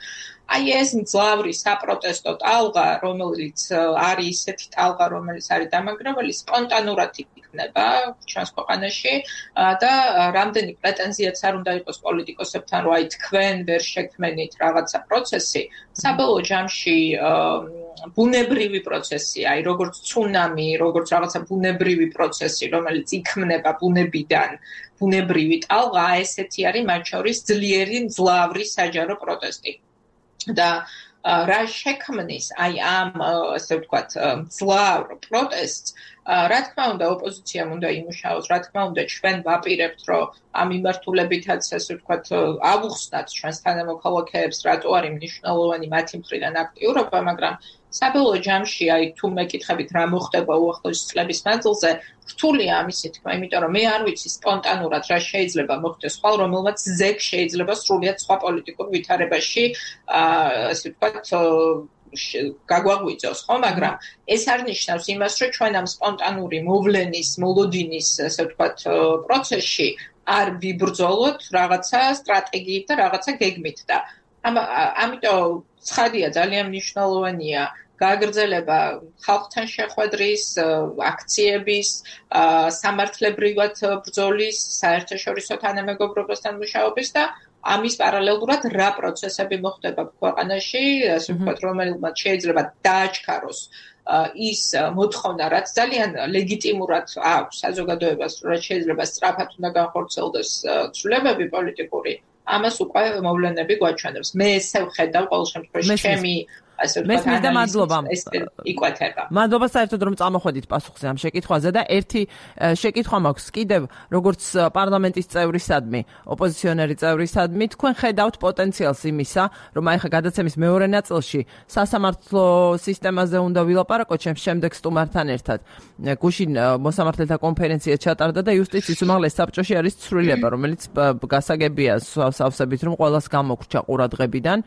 აი ეს მძლავრი საპროტესტო ტალღა რომელიც არის ისეთი ტალღა რომელიც არის დამანგრეველი სპონტანურად იქნება ჩვენს ქვეყანაში და რამდენი პრეტენზიაც არ უნდა იყოს პოლიტიკოსებთან რომ აი თქვენ ვერ შექმნით რაღაცა პროცესი საბოლოო ჯამში ბუნებრივი პროცესი აი როგორც ცუნამი როგორც რაღაცა ბუნებრივი პროცესი რომელიც იქმნება ბუნებიდან ბუნებრივი ტალღა ესეთი არის მათ შორის ძლიერი მძლავრი საჯარო პროტესტი და რა შექმნის აი ამ ასე ვთქვათ მძლავრ პროტესტს რა თქმა უნდა ოპოზიციამ უნდა იმუშაოს რა თქმა უნდა ჩვენ ვაპირებთ რომ ამ მიმართულებითაც ასე ვთქვათ ავუხსნათ ჩვენს თანამოქალაქეებს რატო არის მნიშვნელოვანი მათი მხრიდან აქტიურობა მაგრამ საბოლოო ჯამში აი თუ მეკითხებით რა მოხდება უახლოესი წლების მანძილზე რთულია ამისი თქმა იმიტომ რომ მე არ ვიცი სპონტანურად რა შეიძლება მოხდეს ხვალ რომელმაც ზეგ შეიძლება სრულიად სხვა პოლიტიკურ ვითარებაში ასე ვთქვათ გაგვაღვიძოს ხო მაგრამ ეს არ ნიშნავს იმას რომ ჩვენ ამ სპონტანური მოვლენის მოლოდინის ასე ვთქვათ პროცესში არ ვიბრძოლოთ რაღაცა სტრატეგიით და რაღაცა გეგმით და ამიტომ ცხადია ძალიან მნიშვნელოვანია გააგრძელება ხალხთან შეხვედრის აქციების სამართლებრივად ბრძოლის საერთაშორისო თანამეგობრობასთან მუშაობის და ამის პარალელურად რა პროცესები მოხდება ქვეყანაში, ასე ვთქვათ, რომელმაც შეიძლება დააჩქაროს ის მოთხოვნა, რაც ძალიან ლეგიტიმურად აქვს საზოგადოებას, რაც შეიძლება სწრაფად უნდა განხორციელდეს ცვლილებები პოლიტიკური, ამას უკვე მოვლენები გვაჩვენებს. მე ესე ვხედავ ყოველ შემთხვევაში ჩემი მესმის და მადლობა. იკვეთება. მადლობა საერთოდ რომ წამოხვედით პასუხზე ამ შეკითხვაზე და ერთი შეკითხვა მაქვს კიდევ, როგორც პარლამენტის წევრისადმი, ოპოზიციონერი წევრისადმი, თქვენ ხედავთ პოტენციალს იმისა, რომ აი ხა გადაცემის მეორე ნაწილში სასამართლო სისტემაზე უნდა ვილაპარაკოთ შემდეგ სტუმართან ერთად. გუშინ მოსამართლეთა კონფერენცია ჩატარდა და იუსტიციის უმაღლეს საბჭოში არის ცვლილება, რომელიც გასაგებია სავსებით, რომ ყველას გამოგვრჩა ყურადღებიდან.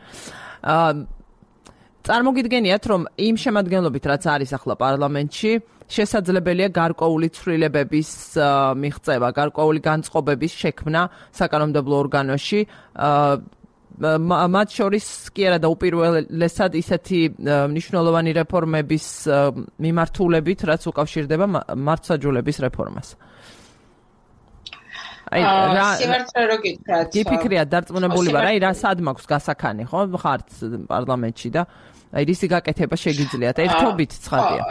წარმოგიდგენიათ, რომ იმ შემადგენლობით, რაც არის ახლა პარლამენტში, შესაძლებელია გარკვეული ცვლილებების მიღწევა, გარკვეული განწყობების შექმნა საკანონმდებლო ორგანოში. მათ შორის კი არა და უპირველესად ისეთი მნიშვნელოვანი რეფორმების მიმართულებით, რაც უკავშირდება მართლმსაჯულების რეფორმას. აი რა სიმართლე რო გითხრათ. გიფიქრიათ დარწმუნებული ვარ, აი რა სად მაქვს გასაქანი, ხო? ხართ პარლამენტში და აი რისი გაკეთება შეგიძლიათ? ერთობით ცხადია.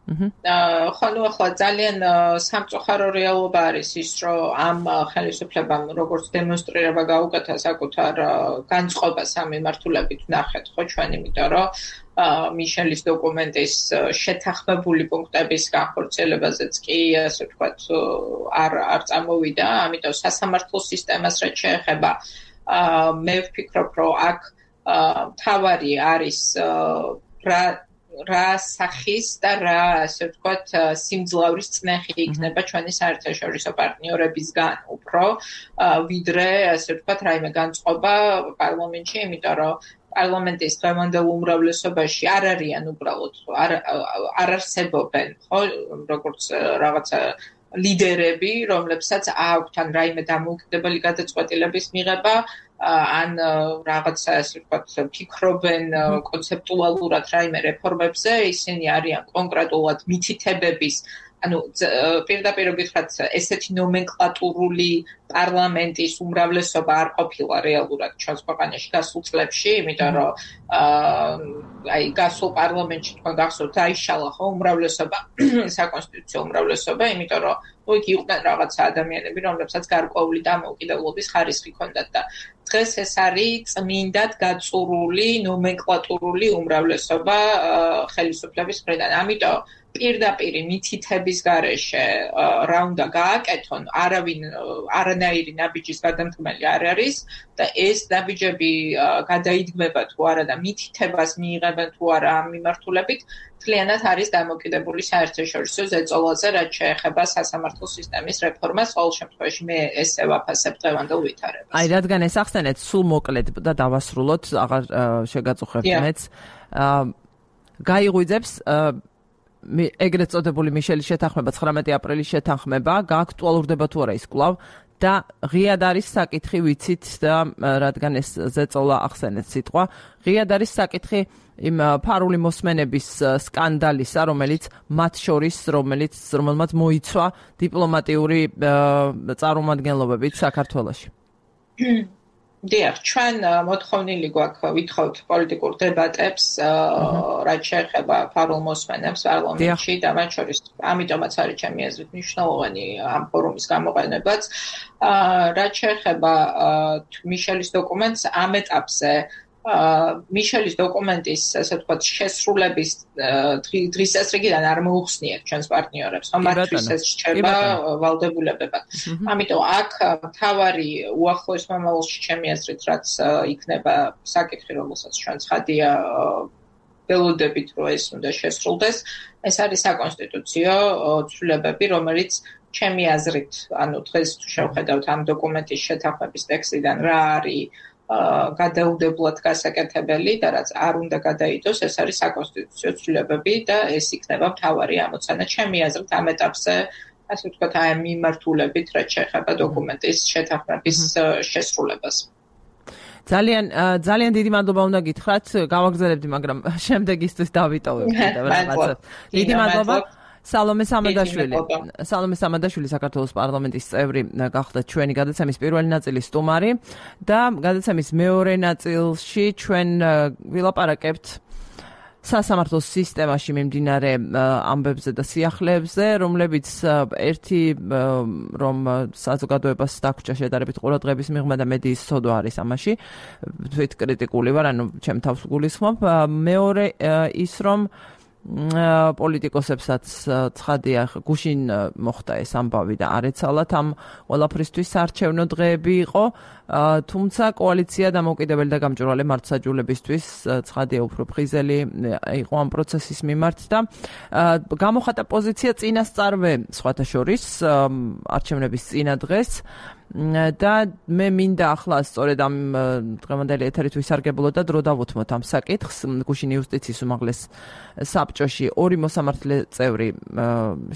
აა ხო, ნუ ახლა ძალიან სამწუხარო რეალობა არის ის, რომ ამ ხელისუფლებამ როგორც დემონსტრირება გაუკეთა საკუთარ განწყობას ამ მიმართულებით ნახეთ, ხო ჩვენ, იმიტომ რომ მიშელის დოკუმენტის შეთანხმებული პუნქტების განხორციელებაზეც კი, ასე ვთქვათ, არ არ წამოვიდა, ამიტომ სასამართლო სისტემას რაც შეეხება, მე ვფიქრობ, რომ აქ თავარი არის რა რა სახის და რა, ასე ვთქვათ, სიმძლავრის წნეხი იქნება ჩვენი საერთაშორისო პარტნიორებისგან უფრო, ვიდრე, ასე ვთქვათ, რაიმე განწყობა პარლამენტში, იმიტომ რომ პარლამენტის დღევანდელ უმრავლესობაში არ არიან უბრალოდ არ არ არსებობენ, ხო, როგორც რაღაცა ლიდერები, რომლებსაც აქვთ ან რაიმე დამოუკიდებელი გადაწყვეტილების მიღება, ან რაღაცა ასე ვთქვათ, ფიქრობენ კონცეპტუალურად რაიმე რეფორმებზე, ისინი არიან კონკრეტულად მითითებების, ანუ პირდაპირ გითხრათ, ესეთი ნომენკლატურული პარლამენტის უმრავლესობა არ ყოფილა რეალურად ჩვენს ქვეყანაში გასულ წლებში, იმიტომ რომ აი გასულ პარლამენტში თქვენ გახსოვთ დაიშალა ხო უმრავლესობა, საკონსტიტუციო უმრავლესობა, იმიტომ რომ იქ იყვნენ რაღაცა ადამიანები, რომლებსაც გარკვეული დამოუკიდებლობის ხარისხი ჰქონდათ და დღეს ეს არის წმინდად გაწურული ნომენკლატურული უმრავლესობა ხელისუფლების მხრიდან. ამიტომ პირდაპირ მითითების გარეშე რა უნდა გააკეთონ, არავინ არანაირი ნაბიჯის გადამდგმელი არ არის და ეს ნაბიჯები გადაიდგმება თუ არა და მითითებას მიიღებენ თუ არა ამ მიმართულებით, მთლიანად არის დამოკიდებული საერთაშორისო ზეწოლაზე, რაც შეეხება სასამართლო სისტემის რეფორმას. ყოველ შემთხვევაში მე ესე ვაფასებ დღევანდელ ვითარებას. აი რადგან ეს ახსენეთ, სულ მოკლედ და დავასრულოთ, აღარ შეგაწუხებთ მეც. გაიღვიძებს ეგრეთ წოდებული მიშელის შეთანხმება, ცხრამეტი აპრილის შეთანხმება, გააქტუალურდება თუ არა ის კვლავ და ღიად არის საკითხი, ვიცით და რადგან ეს ზეწოლა ახსენეთ სიტყვა, ღიად არის საკითხი იმ ფარული მოსმენების სკანდალისა, რომელიც მათ შორის, რომელიც რომელმაც მოიცვა დიპლომატიური წარმომადგენლობებით საქართველოში. დიახ, ჩვენ მოთხოვნილი გვაქვს ვითხოვთ პოლიტიკურ დებატებს, რაც შეეხება ფარულ მოსმენებს პარლამენტში და მათ შორის ამიტომაც არის ჩემი აზრით მნიშვნელოვანი ამ ფორუმის გამოყენებაც. რაც შეეხება მიშელის დოკუმენტს ამ ეტაპზე მიშელის დოკუმენტის, ასე ვთქვათ, შესრულების დღის წესრიგიდან არ მოუხსნიათ ჩვენს პარტნიორებს, რომ მათთვის ეს რჩება ვალდებულებებად. ამიტომ აქ მთავარი უახლოეს მომავალში ჩემი აზრით, რაც იქნება საკითხი, რომელსაც ჩვენ ცხადია ველოდებით, რომ ეს უნდა შესრულდეს, ეს არის საკონსტიტუციო ცვლილებები, რომელიც ჩემი აზრით, ანუ დღეს თუ შევხედავთ ამ დოკუმენტის შეთანხმების ტექსტიდან რა არის გადაუდებლად გასაკეთებელი და რაც არ უნდა გადაიდოს, ეს არის საკონსტიტუციო ცვლილებები და ეს იქნება მთავარი ამოცანა ჩემი აზრით ამ ეტაპზე, ასე ვთქვათ, აი ამ მიმართულებით, რაც შეეხება დოკუმენტის შეთანხმების შესრულებას. ძალიან ძალიან დიდი მადლობა უნდა გითხრათ, გავაგზავნებდი, მაგრამ შემდეგისთვის დავიტოვებ კიდევ რაღაცას. დიდი მადლობა. სალომე სამადაშვილი სალომე სამადაშვილი საქართველოს პარლამენტის წევრი გახდა ჩვენი გადაცემის პირველი ნაწილის სტუმარი და გადაცემის მეორე ნაწილში ჩვენ ვილაპარაკებთ სასამართლოს სისტემაში მიმდინარე ამბებზე და სიახლეებზე, რომლებიც ერთი რომ საზოგადოებას დაგვრჩა შედარებით ყურადღების მიღმა და მედიის სოდვა არის ამაში, თვით კრიტიკული ვარ, ანუ ჩემ თავს გულისხმობ. მეორე ის რომ პოლიტიკოსებსაც ცხადია გუშინ მოხდა ეს ამბავი და არ ეცალათ ამ ყველაფრისთვის საარჩევნო დღეები იყო, თუმცა კოალიცია დამოუკიდებელი და გამჭვირვალე მართლმსაჯულებისთვის ცხადია უფრო ფრიზელი იყო ამ პროცესის მიმართ და გამოხატა პოზიცია წინასწარვე სხვათა შორის არჩევნების წინა დღეს და მე მინდა ახლა სწორედ ამ დღევანდელი ეთერით ვისარგებლო და დრო დავუთმოთ ამ საკითხს. გუშინ იუსტიციის უმაღლეს საბჭოში ორი მოსამართლე წევრი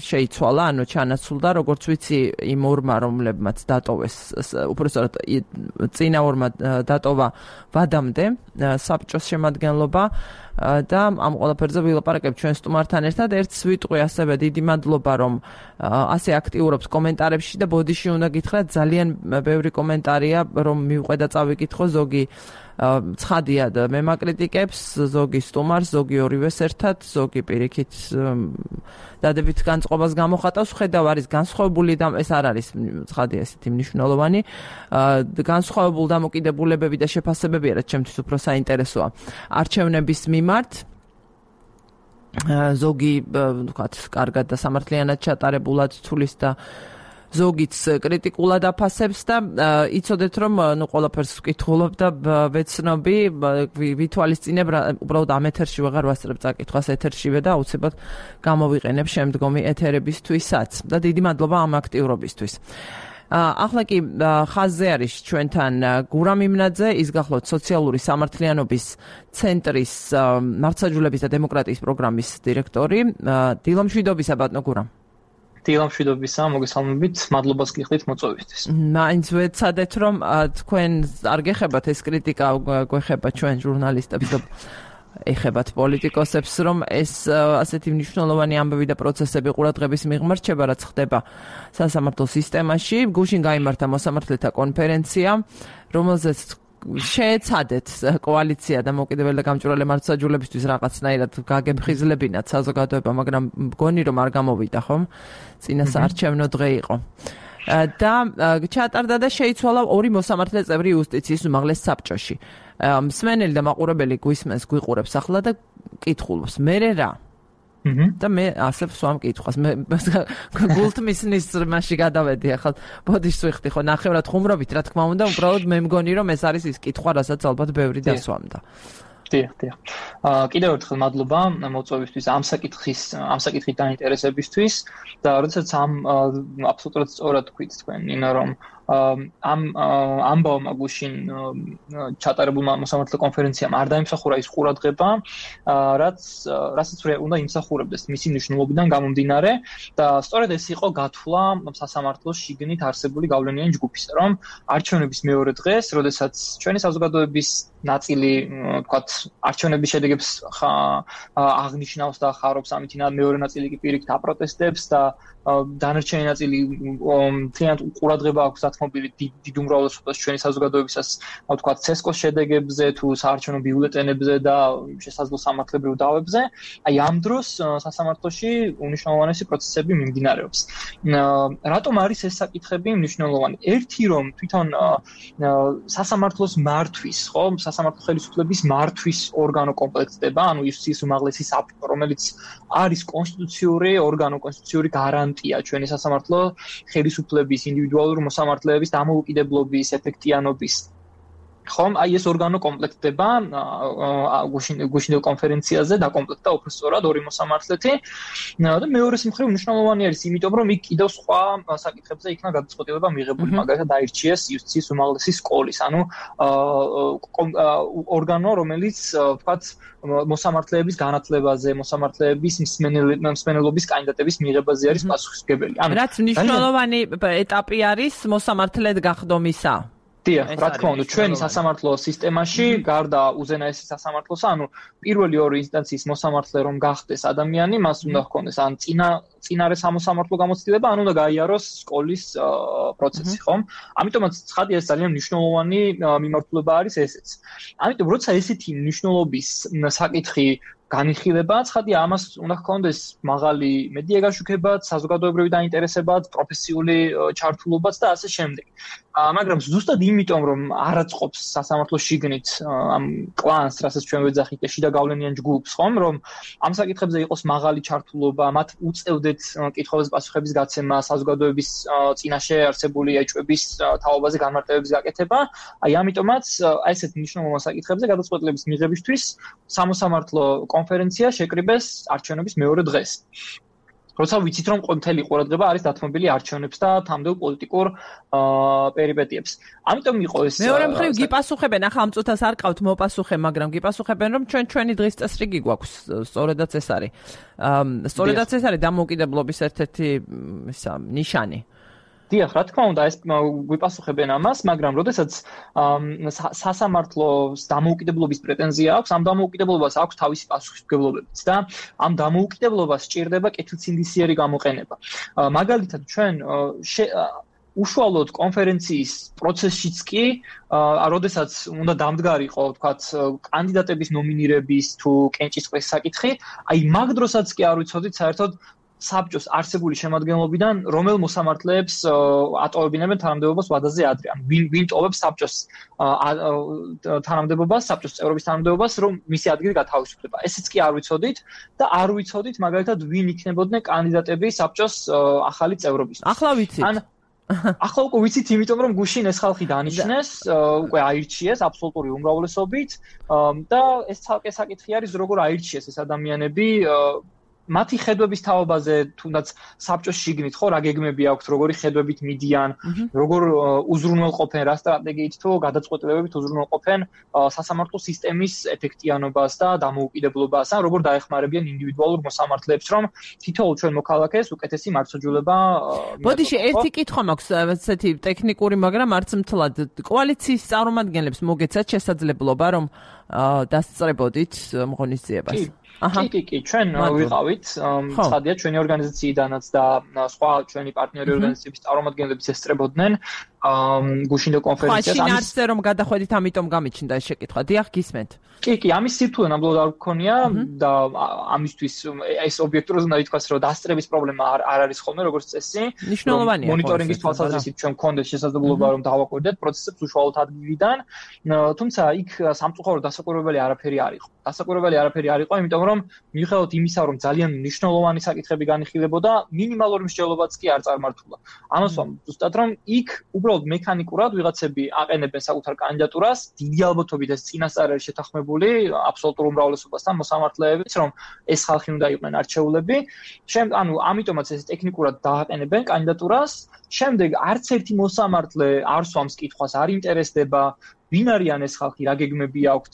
შეიცვალა, ანუ ჩანაცვლდა, როგორც ვიცი, იმ ორმა, რომლებმაც დატოვეს, უпростоრად წინა ორმა დატოვა ვადამდე საბჭოს შემადგენლობა და ამ ყველაფერზე ვილაპარაკებ ჩვენ სტუმართან ერთად. ერთს ვიტყვი ასევე დიდი მადლობა, რომ ასე აქტიურობს კომენტარებში და ბოდიში უნდა გითხრათ, ძალიან ბევრი კომენტარია, რომ მივყვე და წავიკითხო, ზოგი ცხადია და მე მაკრიტიკებს, ზოგი სტუმარს, ზოგი ორივეს ერთად, ზოგი პირიქით დადებით განწყობას გამოხატავს, ხედავ არის განსხვავებული და ეს არ არის ცხადია ესეთი მნიშვნელოვანი განსხვავებული დამოკიდებულებები და შეფასებები, რაც ჩემთვის უფრო საინტერესოა არჩევნების მიმართ. ზოგი ვთქვათ, კარგად და სამართლიანად ჩატარებულად თulis და ზოგიც კრიტიკულად აფასებს და იცოდეთ რომ ნუ ყველაფერს ვკითხულობ და ვეცნობი, ვითვალისწინებ, უბრალოდ ამ ეთერში ვეღარ ვასწრებ წაკითხვას ეთერშივე და აუცილებლად გამოვიყენებ შემდგომი ეთერებისთვისაც და დიდი მადლობა ამ აქტიურობისთვის. ახლა კი ხაზზე არის ჩვენთან გურამ იმნაძე, ის გახლავთ სოციალური სამართლიანობის ცენტრის მართლმსაჯულების და დემოკრატიის პროგრამის დირექტორი. დილამშვიდობისა ბატონო გურამ. დილამშვიდობისა, მოგესალმებით, მადლობას გიხდით მოწვევისთვის. მაინც ვეცადეთ რომ თქვენ არ გეხებათ ეს კრიტიკა, გვეხება ჩვენ ჟურნალისტებს და ეხებათ პოლიტიკოსებს, რომ ეს ასეთი მნიშვნელოვანი ამბები და პროცესები ყურადღების მიღმა რჩება, რაც ხდება სასამართლო სისტემაში. გუშინ გაიმართა მოსამართლეთა კონფერენცია, რომელზეც შეეცადეთ კოალიცია დამოუკიდებელი და გამჭვირვალე მართლმსაჯულებისთვის რაღაცნაირად გაგემხიზლებინათ საზოგადოება, მაგრამ მგონი რომ არ გამოვიდა, ხომ? წინა საარჩევნო დღე იყო. და ჩატარდა და შეიცვალა ორი მოსამართლე წევრი იუსტიციის უმაღლეს საბჭოში. მსმენელი და მაყურებელი გვისმენს, გვიყურებს ახლა და კითხულობს, მერე რა? და მე ასე ვსვამ კითხვას. მე გულთმისნის მასში გადავედი ახლა ბოდიშს ვიხდი ხო ნახევრად ხუმრობით, რა თქმა უნდა, უბრალოდ მე მგონი რომ ეს არის ის კითხვა, რასაც ალბათ ბევრი დასვამდა. დიახ, დიახ. აა კიდევ ერთხელ მადლობა მოწვევისთვის, ამ საკითხის, ამ საკითხით დაინტერესებისთვის და როდესაც ამ აბსოლუტურად სწორად თქვით თქვენ, ინა რომ ამ ამბავმა გუშინ ჩატარებულმა მოსამართლე კონფერენციამ არ დაიმსახურა ის ყურადღება, რაც რასაც უნდა იმსახურებდეს მისი მნიშვნელობიდან გამომდინარე და სწორედ ეს იყო გათვლა სასამართლოს შიგნით არსებული გავლენიანი ჯგუფის, რომ არჩევნების მეორე დღეს, როდესაც ჩვენი საზოგადოების ნაწილი, თქვათ, არჩევნების შედეგებს აღნიშნავს და ხარობს, ამით მეორე ნაწილი კი პირიქით აპროტესტებს და დანარჩენი ნაწილი მთლიანად ყურადღება აქვს დათმობილი დიდ უმრავლესობას ჩვენი საზოგადოებისას, ვთქვათ, ცესკოს შედეგებზე თუ საარჩევნო ბიულეტენებზე და შესაძლო სამართლებრივ დავებზე. აი ამ დროს სასამართლოში უნიშნულოვანესი პროცესები მიმდინარეობს. რატომ არის ეს საკითხები მნიშვნელოვანი? ერთი რომ თვითონ სასამართლოს მართვის, ხო, სასამართლო ხელისუფლების მართვის ორგანო კომპლექტდება, ანუ იუსტიციის უმაღლესი საბჭო, რომელიც არის კონსტიტუციური ორგანო, კონსტიტუციური გარანტია ჩვენი სასამართლო ხელისუფლების, ინდივიდუალური მოსამართლეების დამოუკიდებლობის, ეფექტიანობის. ხომ, აი ეს ორგანო კომპლექტდება გუშინდელ კონფერენციაზე დაკომპლექტდა უბრალოდ ორი მოსამართლეთი და მეორე სიმხრივ მნიშვნელოვანი არის, იმიტომ რომ იქ კიდევ სხვა საკითხებზე იქნა გადაწყვეტილება მიღებული, მაგალითად დაირჩიეს იუსტიციის უმაღლესი სკოლის, ანუ ორგანო, რომელიც ვთქვათ მოსამართლეების განათლებაზე, მოსამართლეების მსმენელობის კანდიდატების მიღებაზე არის პასუხისმგებელი. ანუ რაც მნიშვნელოვანი ეტაპი არის მოსამართლედ გახდომისა. დიახ, რა თქმა უნდა, ჩვენი სასამართლო სისტემაში გარდა უზენაესი სასამართლოსა, ანუ პირველი ორი ინსტანციის მოსამართლე რომ გახდეს ადამიანი, მას უნდა ჰქონდეს ან წინა წინარე სამოსამართლო გამოცდილება, ან უნდა გაიაროს სკოლის პროცესი, ხომ? ამიტომაც ცხადია ეს ძალიან მნიშვნელოვანი მიმართულება არის ესეც. ამიტომ როცა ესეთი მნიშვნელობის საკითხი განიხილება, ცხადია ამას უნდა ჰქონდეს მაღალი მედია გაშუქებაც, საზოგადოებრივი დაინტერესებაც, პროფესიული ჩართულობაც და ასე შემდეგ. მაგრამ ზუსტად იმიტომ რომ არ აწყობს სასამართლო შიგნით ამ კლანს, რასაც ჩვენ ვეძახით შიდა გავლენიან ჯგუფს, ხომ, რომ ამ საკითხებზე იყოს მაღალი ჩართულობა, მათ უწევდეთ კითხვების პასუხების გაცემა, საზოგადოების წინაშე არსებული ეჭვების თაობაზე განმარტებების გაკეთება. აი ამიტომაც აი ესეთ მნიშვნელოვან საკითხებზე გადაწყვეტილების მიღებისთვის სამოსამართლო კონფერენცია შეკრიბეს არჩევნების მეორე დღეს. როცა ვიცით რომ მთელი ყურადღება არის დათმობილი არჩევნებს და თამდელ პოლიტიკურ პერიპეტიებს. ამიტომ იყო ეს მეორე მხრივ გიპასუხებენ, ახლა ამ წუთას არ ყავთ მოპასუხე, მაგრამ გიპასუხებენ რომ ჩვენ ჩვენი დღის წესრიგი გვაქვს, სწორედაც ეს არის. სწორედაც ეს არის დამოუკიდებლობის ერთ-ერთი ისა ნიშანი. დიახ, რა თქმა უნდა, ეს გვიპასუხებენ ამას, მაგრამ როდესაც სასამართლოს დამოუკიდებლობის პრეტენზია აქვს, ამ დამოუკიდებლობას აქვს თავისი პასუხისმგებლობებიც და ამ დამოუკიდებლობას სჭირდება კეთილსინდისიერი გამოყენება. მაგალითად, ჩვენ უშუალოდ კონფერენციის პროცესშიც კი, როდესაც უნდა დამდგარიყო, ვთქვათ, კანდიდატების ნომინირების თუ კენჭისყრის საკითხი, აი მაგ დროსაც კი არ ვიცოდით საერთოდ საბჭოს არსებული შემადგენლობიდან რომელ მოსამართლეებს ატოვებინებენ თანამდებობას ვადაზე ადრე. ან ვინ ვინ ტოვებს საბჭოს თანამდებობას, საბჭოს წევრობის თანამდებობას, რომ მისი ადგილი გათავისუფლდება. ესეც კი არ ვიცოდით და არ ვიცოდით მაგალითად ვინ იქნებოდნენ კანდიდატები საბჭოს ახალი წევრობისთვის. ახლა ვიცით. ან ახლა უკვე ვიცით, იმიტომ რომ გუშინ ეს ხალხი დანიშნეს, უკვე აირჩიეს აბსოლუტური უმრავლესობით და ეს ცალკე საკითხი არის, როგორ აირჩიეს ეს ადამიანები მათი ხედვების თაობაზე, თუნდაც საბჭოს შიგნით ხო რა გეგმები აქვთ, როგორი ხედვებით მიდიან, როგორ უზრუნველყოფენ რა სტრატეგიით თუ გადაწყვეტილებებით უზრუნველყოფენ სასამართლო სისტემის ეფექტიანობას და დამოუკიდებლობას, ან როგორ დაეხმარებიან ინდივიდუალურ მოსამართლეებს, რომ თითოეულ ჩვენ მოქალაქეს უკეთესი მარცხაჯულება ბოდიში ერთი კითხვა მაქვს, ესეთი ტექნიკური, მაგრამ არც მთლად. კოალიციის წარმომადგენლებს მოგეცათ შესაძლებლობა, რომ დასწრებოდით ღონისძიებას? კი, კი, კი, ჩვენ ვიყავით, ცხადია, ჩვენი ორგანიზაციიდანაც და სხვა ჩვენი პარტნიორი ორგანიზაციების წარმომადგენლებიც ესწრებოდნენ გუშინდო კონფერენციას. ხო, შინაარსზე რომ გადახვედით, ამიტომ გამიჩნდა ეს შეკითხვა. დიახ, გისმენთ. კი, კი, ამის სირთულე ნამდვილად არ გქონია და ამისთვის ეს ობიექტურად უნდა ითქვას, რომ დასწრების პრობლემა არ არის ხოლმე, როგორც წესი. მნიშვნელოვანია. მონიტორინგის თვალსაზრისით ჩვენ გქონდეს შესაძლებლობა, რომ დავაკვირდეთ პროცესებს უშუალოდ ადგილიდან, თუმცა იქ სამწუხაროდ დასაკვირვებელი არაფერი არ იყო. დასაკვირვებელი არაფერი არ იყო, იმიტომ რომ მიუხედავად იმისა, რომ ძალიან მნიშვნელოვანი საკითხები განიხილებოდა, მინიმალური მსჯელობაც კი არ წარმართულა. ამას ვამ ზუსტად რომ იქ უბრალოდ მექანიკურად ვიღაცები აყენებენ საკუთარ კანდიდატურას, დიდი ალბათობით ეს წინასწარ არის შეთანხმებული აბსოლუტურ უმრავლესობასთან მოსამართლეებით, რომ ეს ხალხი უნდა იყვნენ არჩეულები. შემდეგ, ანუ ამიტომაც ეს ტექნიკურად დააყენებენ კანდიდატურას. შემდეგ არც ერთი მოსამართლე არ სვამს კითხვას, არ ინტერესდება ვინ არიან ეს ხალხი, რა გეგმები აქვთ,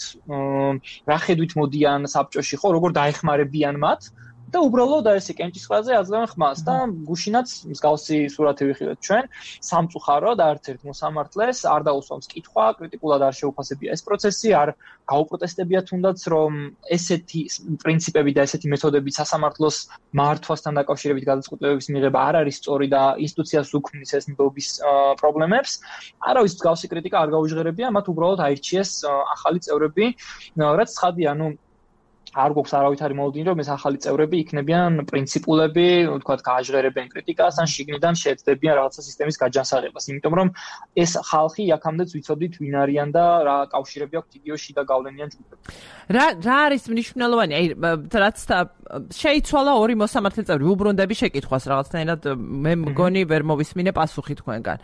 რა ხედვით მოდიან საბჭოში, ხო, როგორ დაეხმარებიან მათ და უბრალოდ ესე კენჭისყრაზე აძლევენ ხმას და გუშინაც მსგავსი სურათი ვიხილეთ ჩვენ, სამწუხაროდ არც ერთ მოსამართლეს არ დაუსვამს კითხვა, კრიტიკულად არ შეუფასებია ეს პროცესი, არ გაუპროტესტებია თუნდაც, რომ ესეთი პრინციპები და ესეთი მეთოდები სასამართლოს მართვასთან დაკავშირებით გადაწყვეტილებების მიღება არ არის სწორი და ინსტიტუციას უქმნის ეს ნდობის პრობლემებს. არავის მსგავსი კრიტიკა არ გაუჟღერებია, მათ უბრალოდ აირჩიეს ახალი წევრები, რაც ცხადია, ну არ გვაქვს არავითარი მოლოდინი, რომ ეს ახალი წევრები იქნებიან პრინციპულები, ვთქვათ, გააჟღერებენ კრიტიკას, ან შიგნიდან შეეცდებიან რაღაცა სისტემის გაჯანსაღებას, იმიტომ რომ ეს ხალხი აქამდეც ვიცოდით ვინ არიან და რა კავშირები აქვთ იგივე შიდა გავლენიან ჯგუფებს. რა რა არის მნიშვნელოვანი? აი, რაც შეიცვალა ორი მოსამართლე წევრი, უბრუნდები შეკითხვას რაღაცნაირად მე მგონი ვერ მოვისმინე პასუხი თქვენგან.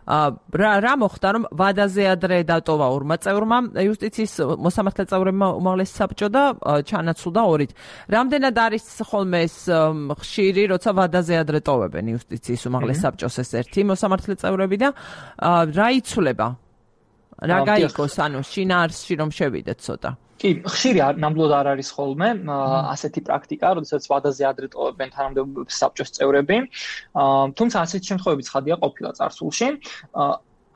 რა რა მოხდა რომ ვადაზე ადრე დატოვა ორმა წევრმა იუსტიციის მოსამართლე წევრებმა უმაღლესი საბჭო და ჩანაცვლდა ორით. რამდენად არის ხოლმე ეს ხშირი, როცა ვადაზე ადრე ტოვებენ იუსტიციის უმაღლეს საბჭოს ეს ერთი მოსამართლე წევრები და რა იცვლება? რა გაიგოს, ანუ შინაარსში რომ შევიდეთ ცოტა. კი, ხშირი ნამდვილად არ არის ხოლმე ასეთი პრაქტიკა, როდესაც ვადაზე ადრე ტოვებენ თანამდებობებს საბჭოს წევრები. თუმცა ასეთი შემთხვევები ცხადია ყოფილა წარსულში.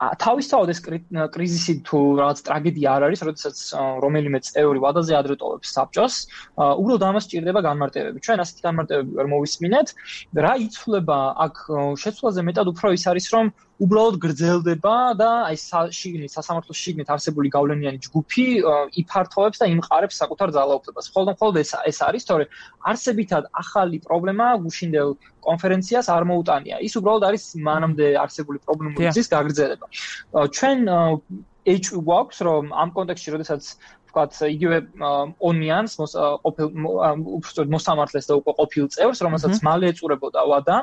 თავისთავად ეს კრიზისი თუ რაღაც ტრაგედია არ არის, როდესაც რომელიმე წევრი ვადაზე ადრე ტოვებს საბჭოს, უბრალოდ ამას სჭირდება განმარტებები. ჩვენ ასეთი განმარტებები ვერ მოვისმინეთ. რა იცვლება აქ შეცვლაზე მეტად უფრო ის არის, რომ უბრალოდ გრძელდება და აი შიგნით სასამართლოს შიგნით არსებული გავლენიანი ჯგუფი იფართოვებს და იმყარებს საკუთარ ძალაუფლებას. მხოლოდ მხოლოდ ეს ეს არის, თორე არსებითად ახალი პრობლემა გუშინდელ კონფერენციას არ მოუტანია. ის უბრალოდ არის მანამდე არსებული პრობლემების გაგრძელება. ჩვენ ეჭვი გვაქვს, რომ ამ კონტექსტში, როდესაც ვთქვათ, იგივე ონიანს ყოფილ უბრალოდ მოსამართლეს და უკვე ყოფილ წევრს, რომელსაც მალე ეწურებოდა ვადა,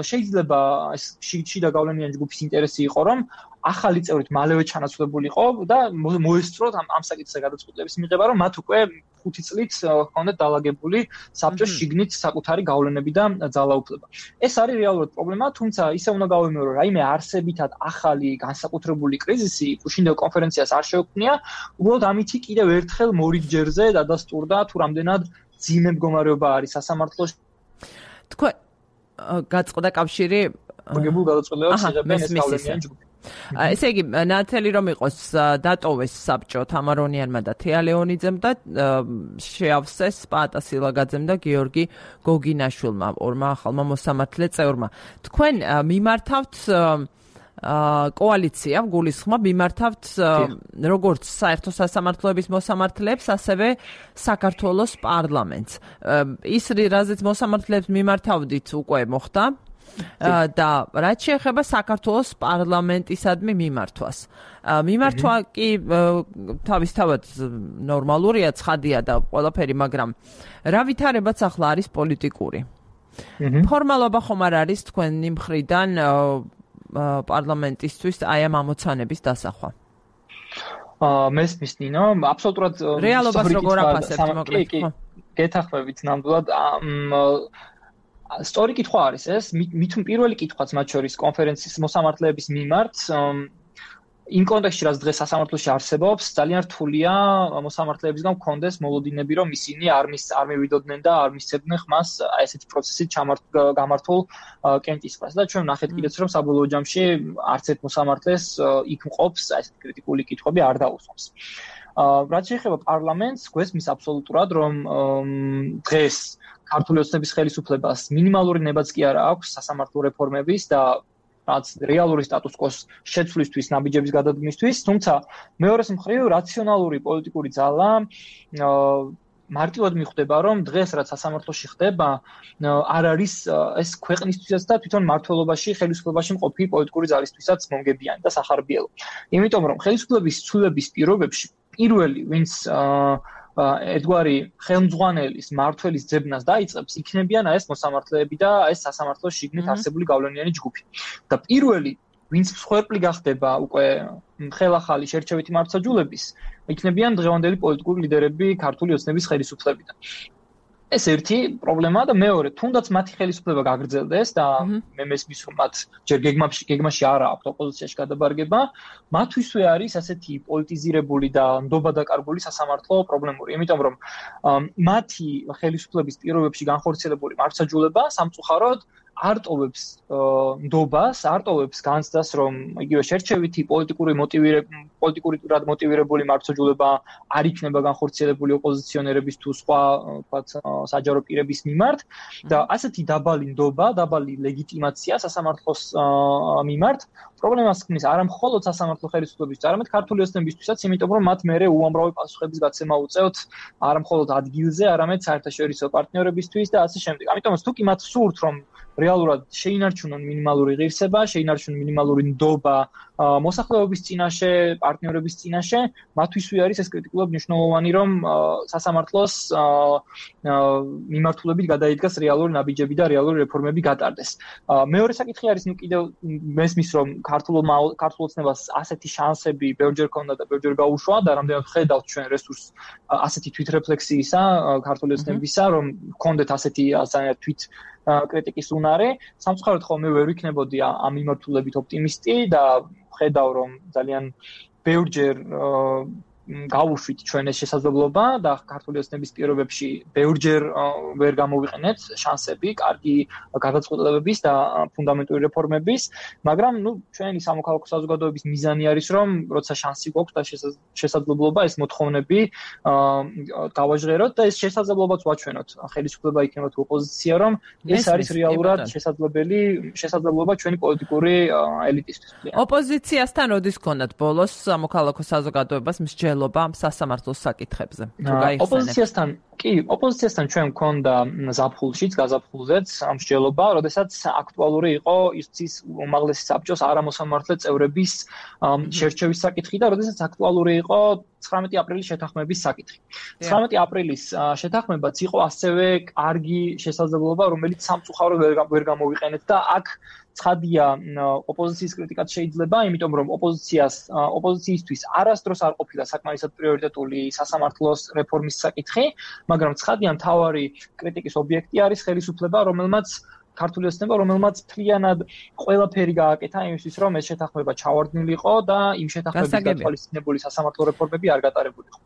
შეიძლება ეს შიდა გავლენიანი ჯგუფის ინტერესი იყო, რომ ახალი წევრით მალევე ჩანაცვლებულიყო და მოესწროთ ამ ამ საკითხზე გადაწყვეტილების მიღება, რომ მათ უკვე ხუთი წლით ჰქონდათ დალაგებული საბჭოს შიგნით საკუთარი გავლენები და ძალაუფლება. ეს არის რეალურად პრობლემა, თუმცა ისე უნდა გავიმეორო, რომ რაიმე არსებითად ახალი განსაკუთრებული კრიზისი გუშინდელ კონფერენციას არ შეუქმნია, უბრალოდ ამითი კიდევ ერთხელ მორიგჯერზე დადასტურდა თუ რამდენად ძიმე მდგომარეობა არის სასამართლოში. თქვენ გაწყდა კავშირი მოგებულ გადაწყვეტილებას იღებენ ეს გავლენიანი ჯგუფი. ესე იგი, ნათელი რომ იყოს დატოვეს საბჭო თამარონიანმა და თეალეონიძემ და შეავსეს პაატა სილაგაძემ და გიორგი გოგინაშვილმა, ორმა ახალმა მოსამართლე წევრმა. თქვენ მიმართავთ კოალიცია, გულისხმობ, მიმართავთ როგორც საერთო სასამართლოების მოსამართლეებს, ასევე საქართველოს პარლამენტს. ის რაზეც მოსამართლეებს მიმართავდით უკვე მოხდა და რაც შეეხება საქართველოს პარლამენტისადმი მიმართვას. მიმართვა კი თავისთავად ნორმალურია, ცხადია და ყველაფერი, მაგრამ რა ვითარებაც ახლა არის პოლიტიკური. ფორმალობა ხომ არ არის თქვენი მხრიდან პარლამენტისთვის აი ამ ამოცანების დასახვა? მესმის ნინო, აბსოლუტურად რეალობას როგორ აფასებთ, მოკლედ? გეთახმებით ნამდვილად სწორი კითხვა არის ეს, მით პირველი კითხვაც მათ შორის კონფერენციის მოსამართლეების მიმართ, იმ კონტექსტში, რაც დღეს სასამართლოში არსებობს, ძალიან რთულია მოსამართლეებისგან გქონდეს მოლოდინები, რომ ისინი არ მის არ მივიდოდნენ და არ მისცემდნენ ხმას აი ესეთი პროცესით გამართულ კენტისყრას. და ჩვენ ნახეთ კიდეც, რომ საბოლოო ჯამში არც ერთ მოსამართლეს იქ მყოფს აი ესეთი კრიტიკული კითხვები არ დაუსვამს. რაც შეეხება პარლამენტს, გვესმის აბსოლუტურად, რომ დღეს ქართული ოცნების ხელისუფლებას მინიმალური ნებაც კი არ აქვს სასამართლო რეფორმების და რაც რეალური სტატუს-კვოს შეცვლისთვის, ნაბიჯების გადადგმისთვის, თუმცა მეორეს მხრივ რაციონალური პოლიტიკური ძალა მარტივად მიხვდება, რომ დღეს რაც სასამართლოში ხდება, არ არის ეს ქვეყნისთვისაც და თვითონ მმართველობაში, ხელისუფლებაში მყოფი პოლიტიკური ძალისთვისაც მომგებიანი და სახარბიელო. იმიტომ რომ ხელისუფლების ცვლილების პირობებში პირველი, ვინც ერთგვარი ხელმძღვანელის მმართველის ძებნას დაიწყებს, იქნებიან ეს მოსამართლეები და ეს სასამართლოს შიგნით არსებული გავლენიანი ჯგუფი. და პირველი, ვინც მსხვერპლი გახდება უკვე ხელახალი შერჩევითი მართლმსაჯულების, იქნებიან დღევანდელი პოლიტიკური ლიდერები ქართული ოცნების ხელისუფლებიდან. ეს ერთი პრობლემაა და მეორე, თუნდაც მათი ხელისუფლება გაგრძელდეს და მე მესმის რომ მათ ჯერ გეგმაში გეგმაში არ აქვს ოპოზიციაში გადაბარგება, მათთვისვე არის ასეთი პოლიტიზირებული და ნდობა დაკარგული სასამართლო პრობლემური, იმიტომ რომ მათი ხელისუფლების პირობებში განხორციელებული მართლმსაჯულება სამწუხაროდ არ ტოვებს ნდობას, არ ტოვებს განცდას, რომ იგივე შერჩევითი პოლიტიკური მოტივირებული პოლიტიკურად მოტივირებული მართლმსაჯულება არ იქნება განხორციელებული ოპოზიციონერების თუ სხვა, ვთქვათ, საჯარო პირების მიმართ და ასეთი დაბალი ნდობა, დაბალი ლეგიტიმაცია სასამართლოს მიმართ პრობლემას ქმნის არა მხოლოდ სასამართლო ხელისუფლებისთვის, არამედ ქართული ოცნებისთვისაც, იმიტომ რომ მათ მერე უამრავი პასუხების გაცემა უწევთ არა მხოლოდ ადგილზე, არამედ საერთაშორისო პარტნიორებისთვის და ასე შემდეგ. ამიტომაც თუ კი მათ სურთ, რომ რეალურად შეინარჩუნონ მინიმალური ღირსება, შეინარჩუნონ მინიმალური ნდობა მოსახლეობის წინაშე, პარტნიორების წინაშე, მათთვისვე არის ეს კრიტიკულად მნიშვნელოვანი, რომ სასამართლოს მიმართულებით გადაიდგას რეალური ნაბიჯები და რეალური რეფორმები გატარდეს. მეორე საკითხი არის, ნუ კიდევ მესმის, რომ ქართულმა ქართულ ოცნებას ასეთი შანსები ბევრჯერ ჰქონდა და ბევრჯერ გაუშვა და რამდენად ხედავთ ჩვენ რესურსს ასეთი თვითრეფლექსიისა, ქართული ოცნებისა, რომ ჰქონდეთ ასეთი ძალიან თვით კრიტიკის უნარი, სამწუხაროდ ხოლმე ვერ ვიქნებოდი ამ მიმართულებით ოპტიმისტი და ხედავ, რომ ძალიან ბევრჯერ გავუშვით ჩვენ ეს შესაძლებლობა და ქართული ოცნების პირობებში ბევრჯერ ვერ გამოვიყენეთ შანსები, კარგი გადაწყვეტილებების და ფუნდამენტური რეფორმების, მაგრამ ნუ ჩვენი სამოქალაქო საზოგადოების მიზანი არის, რომ როცა შანსი გვაქვს და შესაძლებლობა ეს მოთხოვნები გავაჟღეროთ და ეს შესაძლებლობაც ვაჩვენოთ. ხელისუფლება იქნება თუ ოპოზიცია, რომ ეს არის რეალურად შესაძლებელი შესაძლებლობა ჩვენი პოლიტიკური ელიტისთვის. ოპოზიციასთან როდის გქონდათ ბოლოს სამოქალაქო საზოგადოებას მსჯელობა სასამართლოს საკითხებზე? ოპოზიციასთან კი, ოპოზიციასთან ჩვენ მქონდა ზაფხულშიც, გაზაფხულზეც მსჯელობა, როდესაც აქტუალური იყო ისთვის უმაღლესი საბჭოს არამოსამართლე წევრების შერჩევის საკითხი და როდესაც აქტუალური იყო ცხრამეტი აპრილის შეთანხმების საკითხი. ცხრამეტი აპრილის შეთანხმებაც იყო ასევე კარგი შესაძლებლობა, რომელიც სამწუხაროდ ვერ გამოვიყენეთ და აქ ცხადია ოპოზიციის კრიტიკაც შეიძლება, იმიტომ რომ ოპოზიციას ოპოზიციისთვის არასდროს არ ყოფილა საკმარისად პრიორიტეტული სასამართლოს რეფორმის საკითხი, მაგრამ ცხადია მთავარი კრიტიკის ობიექტი არის ხელისუფლება, რომელმაც ქართული ოცნება, რომელმაც მთლიანად ყველაფერი გააკეთა იმისთვის, რომ ეს შეთანხმება ჩავარდნილიყო და იმ შეთანხმების გათვალისწინებული სასამართლო რეფორმები არ გატარებულიყო.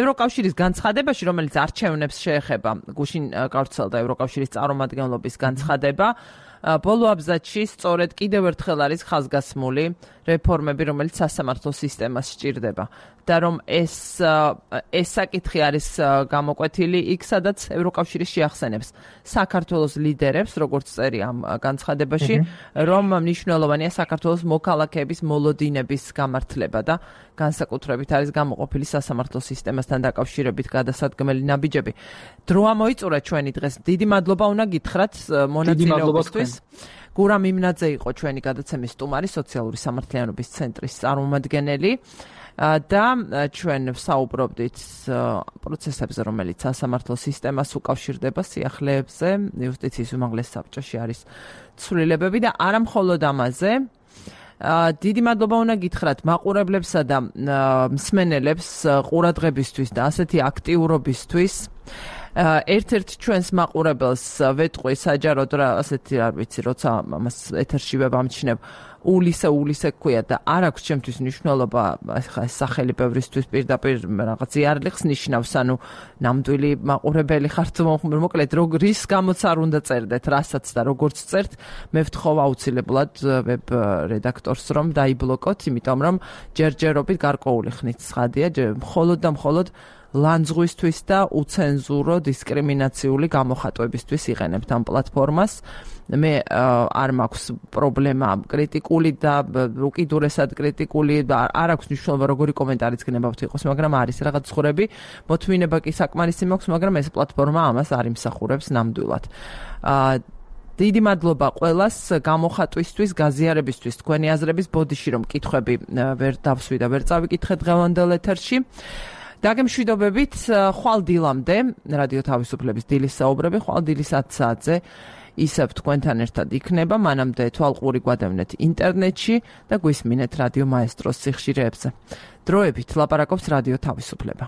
ევროკავშირის განცხადებაში, რომელიც არჩევნებს შეეხება, გუშინ გავრცელდა ევროკავშირის წარმომადგენლობის განცხადება, ბოლო აბზაცში სწორედ კიდევ ერთხელ არის ხაზგასმული რეფორმები, რომელიც სასამართლო სისტემას სჭირდება და რომ ეს ეს საკითხი არის გამოკვეთილი იქ, სადაც ევროკავშირი შეახსენებს საქართველოს ლიდერებს, როგორც წერია ამ განცხადებაში, რომ მნიშვნელოვანია საქართველოს მოქალაქეების მოლოდინების გამართლება და განსაკუთრებით არის გამოყოფილი სასამართლო სისტემასთან დაკავშირებით გადასადგმელი ნაბიჯები. დრო ამოიწურა ჩვენი დღეს. დიდი მადლობა უნდა გითხრათ მონაწილეობისთვის. გურამ იმნაძე იყო ჩვენი გადაცემის სტუმარი, სოციალური სამართლიანობის ცენტრის წარმომადგენელი და ჩვენ ვსაუბრობდით პროცესებზე, რომელიც სასამართლო სისტემას უკავშირდება, სიახლეებზე, იუსტიციის უმაღლეს საბჭოში არის ცვლილებები და არა მხოლოდ ამაზე. დიდი მადლობა უნდა გითხრათ მაყურებლებსა და მსმენელებს ყურადღებისთვის და ასეთი აქტიურობისთვის. ერთ-ერთ ჩვენს მაყურებელს ვეტყვი საჯაროდ რა ასეთი არ ვიცი, როცა ამას ეთერში ვამჩნევ, ულისე ულისე ქვია და არ აქვს ჩემთვის მნიშვნელობა, ხა ეს სახელი ბევრისთვის პირდაპირ რაღაც იარლიხს ნიშნავს, ანუ ნამდვილი მაყურებელი ხართ, მოკლედ რის გამოც არ უნდა წერდეთ, რასაც და როგორც წერთ, მე ვთხოვ აუცილებლად ვებ რედაქტორს რომ დაიბლოკოთ, იმიტომ რომ ჯერჯერობით გარკვეული ხნით ცხადია, მხოლოდ და მხოლოდ ლანძღვისთვის და უცენზურო დისკრიმინაციული გამოხატვებისთვის იყენებთ ამ პლატფორმას. მე არ მაქვს პრობლემა კრიტიკული და უკიდურესად კრიტიკული და არ აქვს მნიშვნელობა როგორი კომენტარიც გნებავთ იყოს, მაგრამ არის რაღაც ცხურები, მოთმინება კი საკმარისი მაქვს, მაგრამ ეს პლატფორმა ამას არ იმსახურებს ნამდვილად. დიდი მადლობა ყველას გამოხატვისთვის, გაზიარებისთვის, თქვენი აზრების ბოდიში რომ კითხვები ვერ დავსვი და ვერ წავიკითხე დღევანდელ ეთერში. დაგემშვიდობებით, ხვალ დილამდე, რადიო თავისუფლების დილის საუბრები, ხვალ დილის ათ საათზე ისევ თქვენთან ერთად იქნება, მანამდე თვალყური გვადევნეთ ინტერნეტში და გვისმინეთ რადიო მაესტროს სიხშირეებზე. დროებით ლაპარაკობს რადიო თავისუფლება.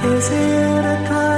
Is it a time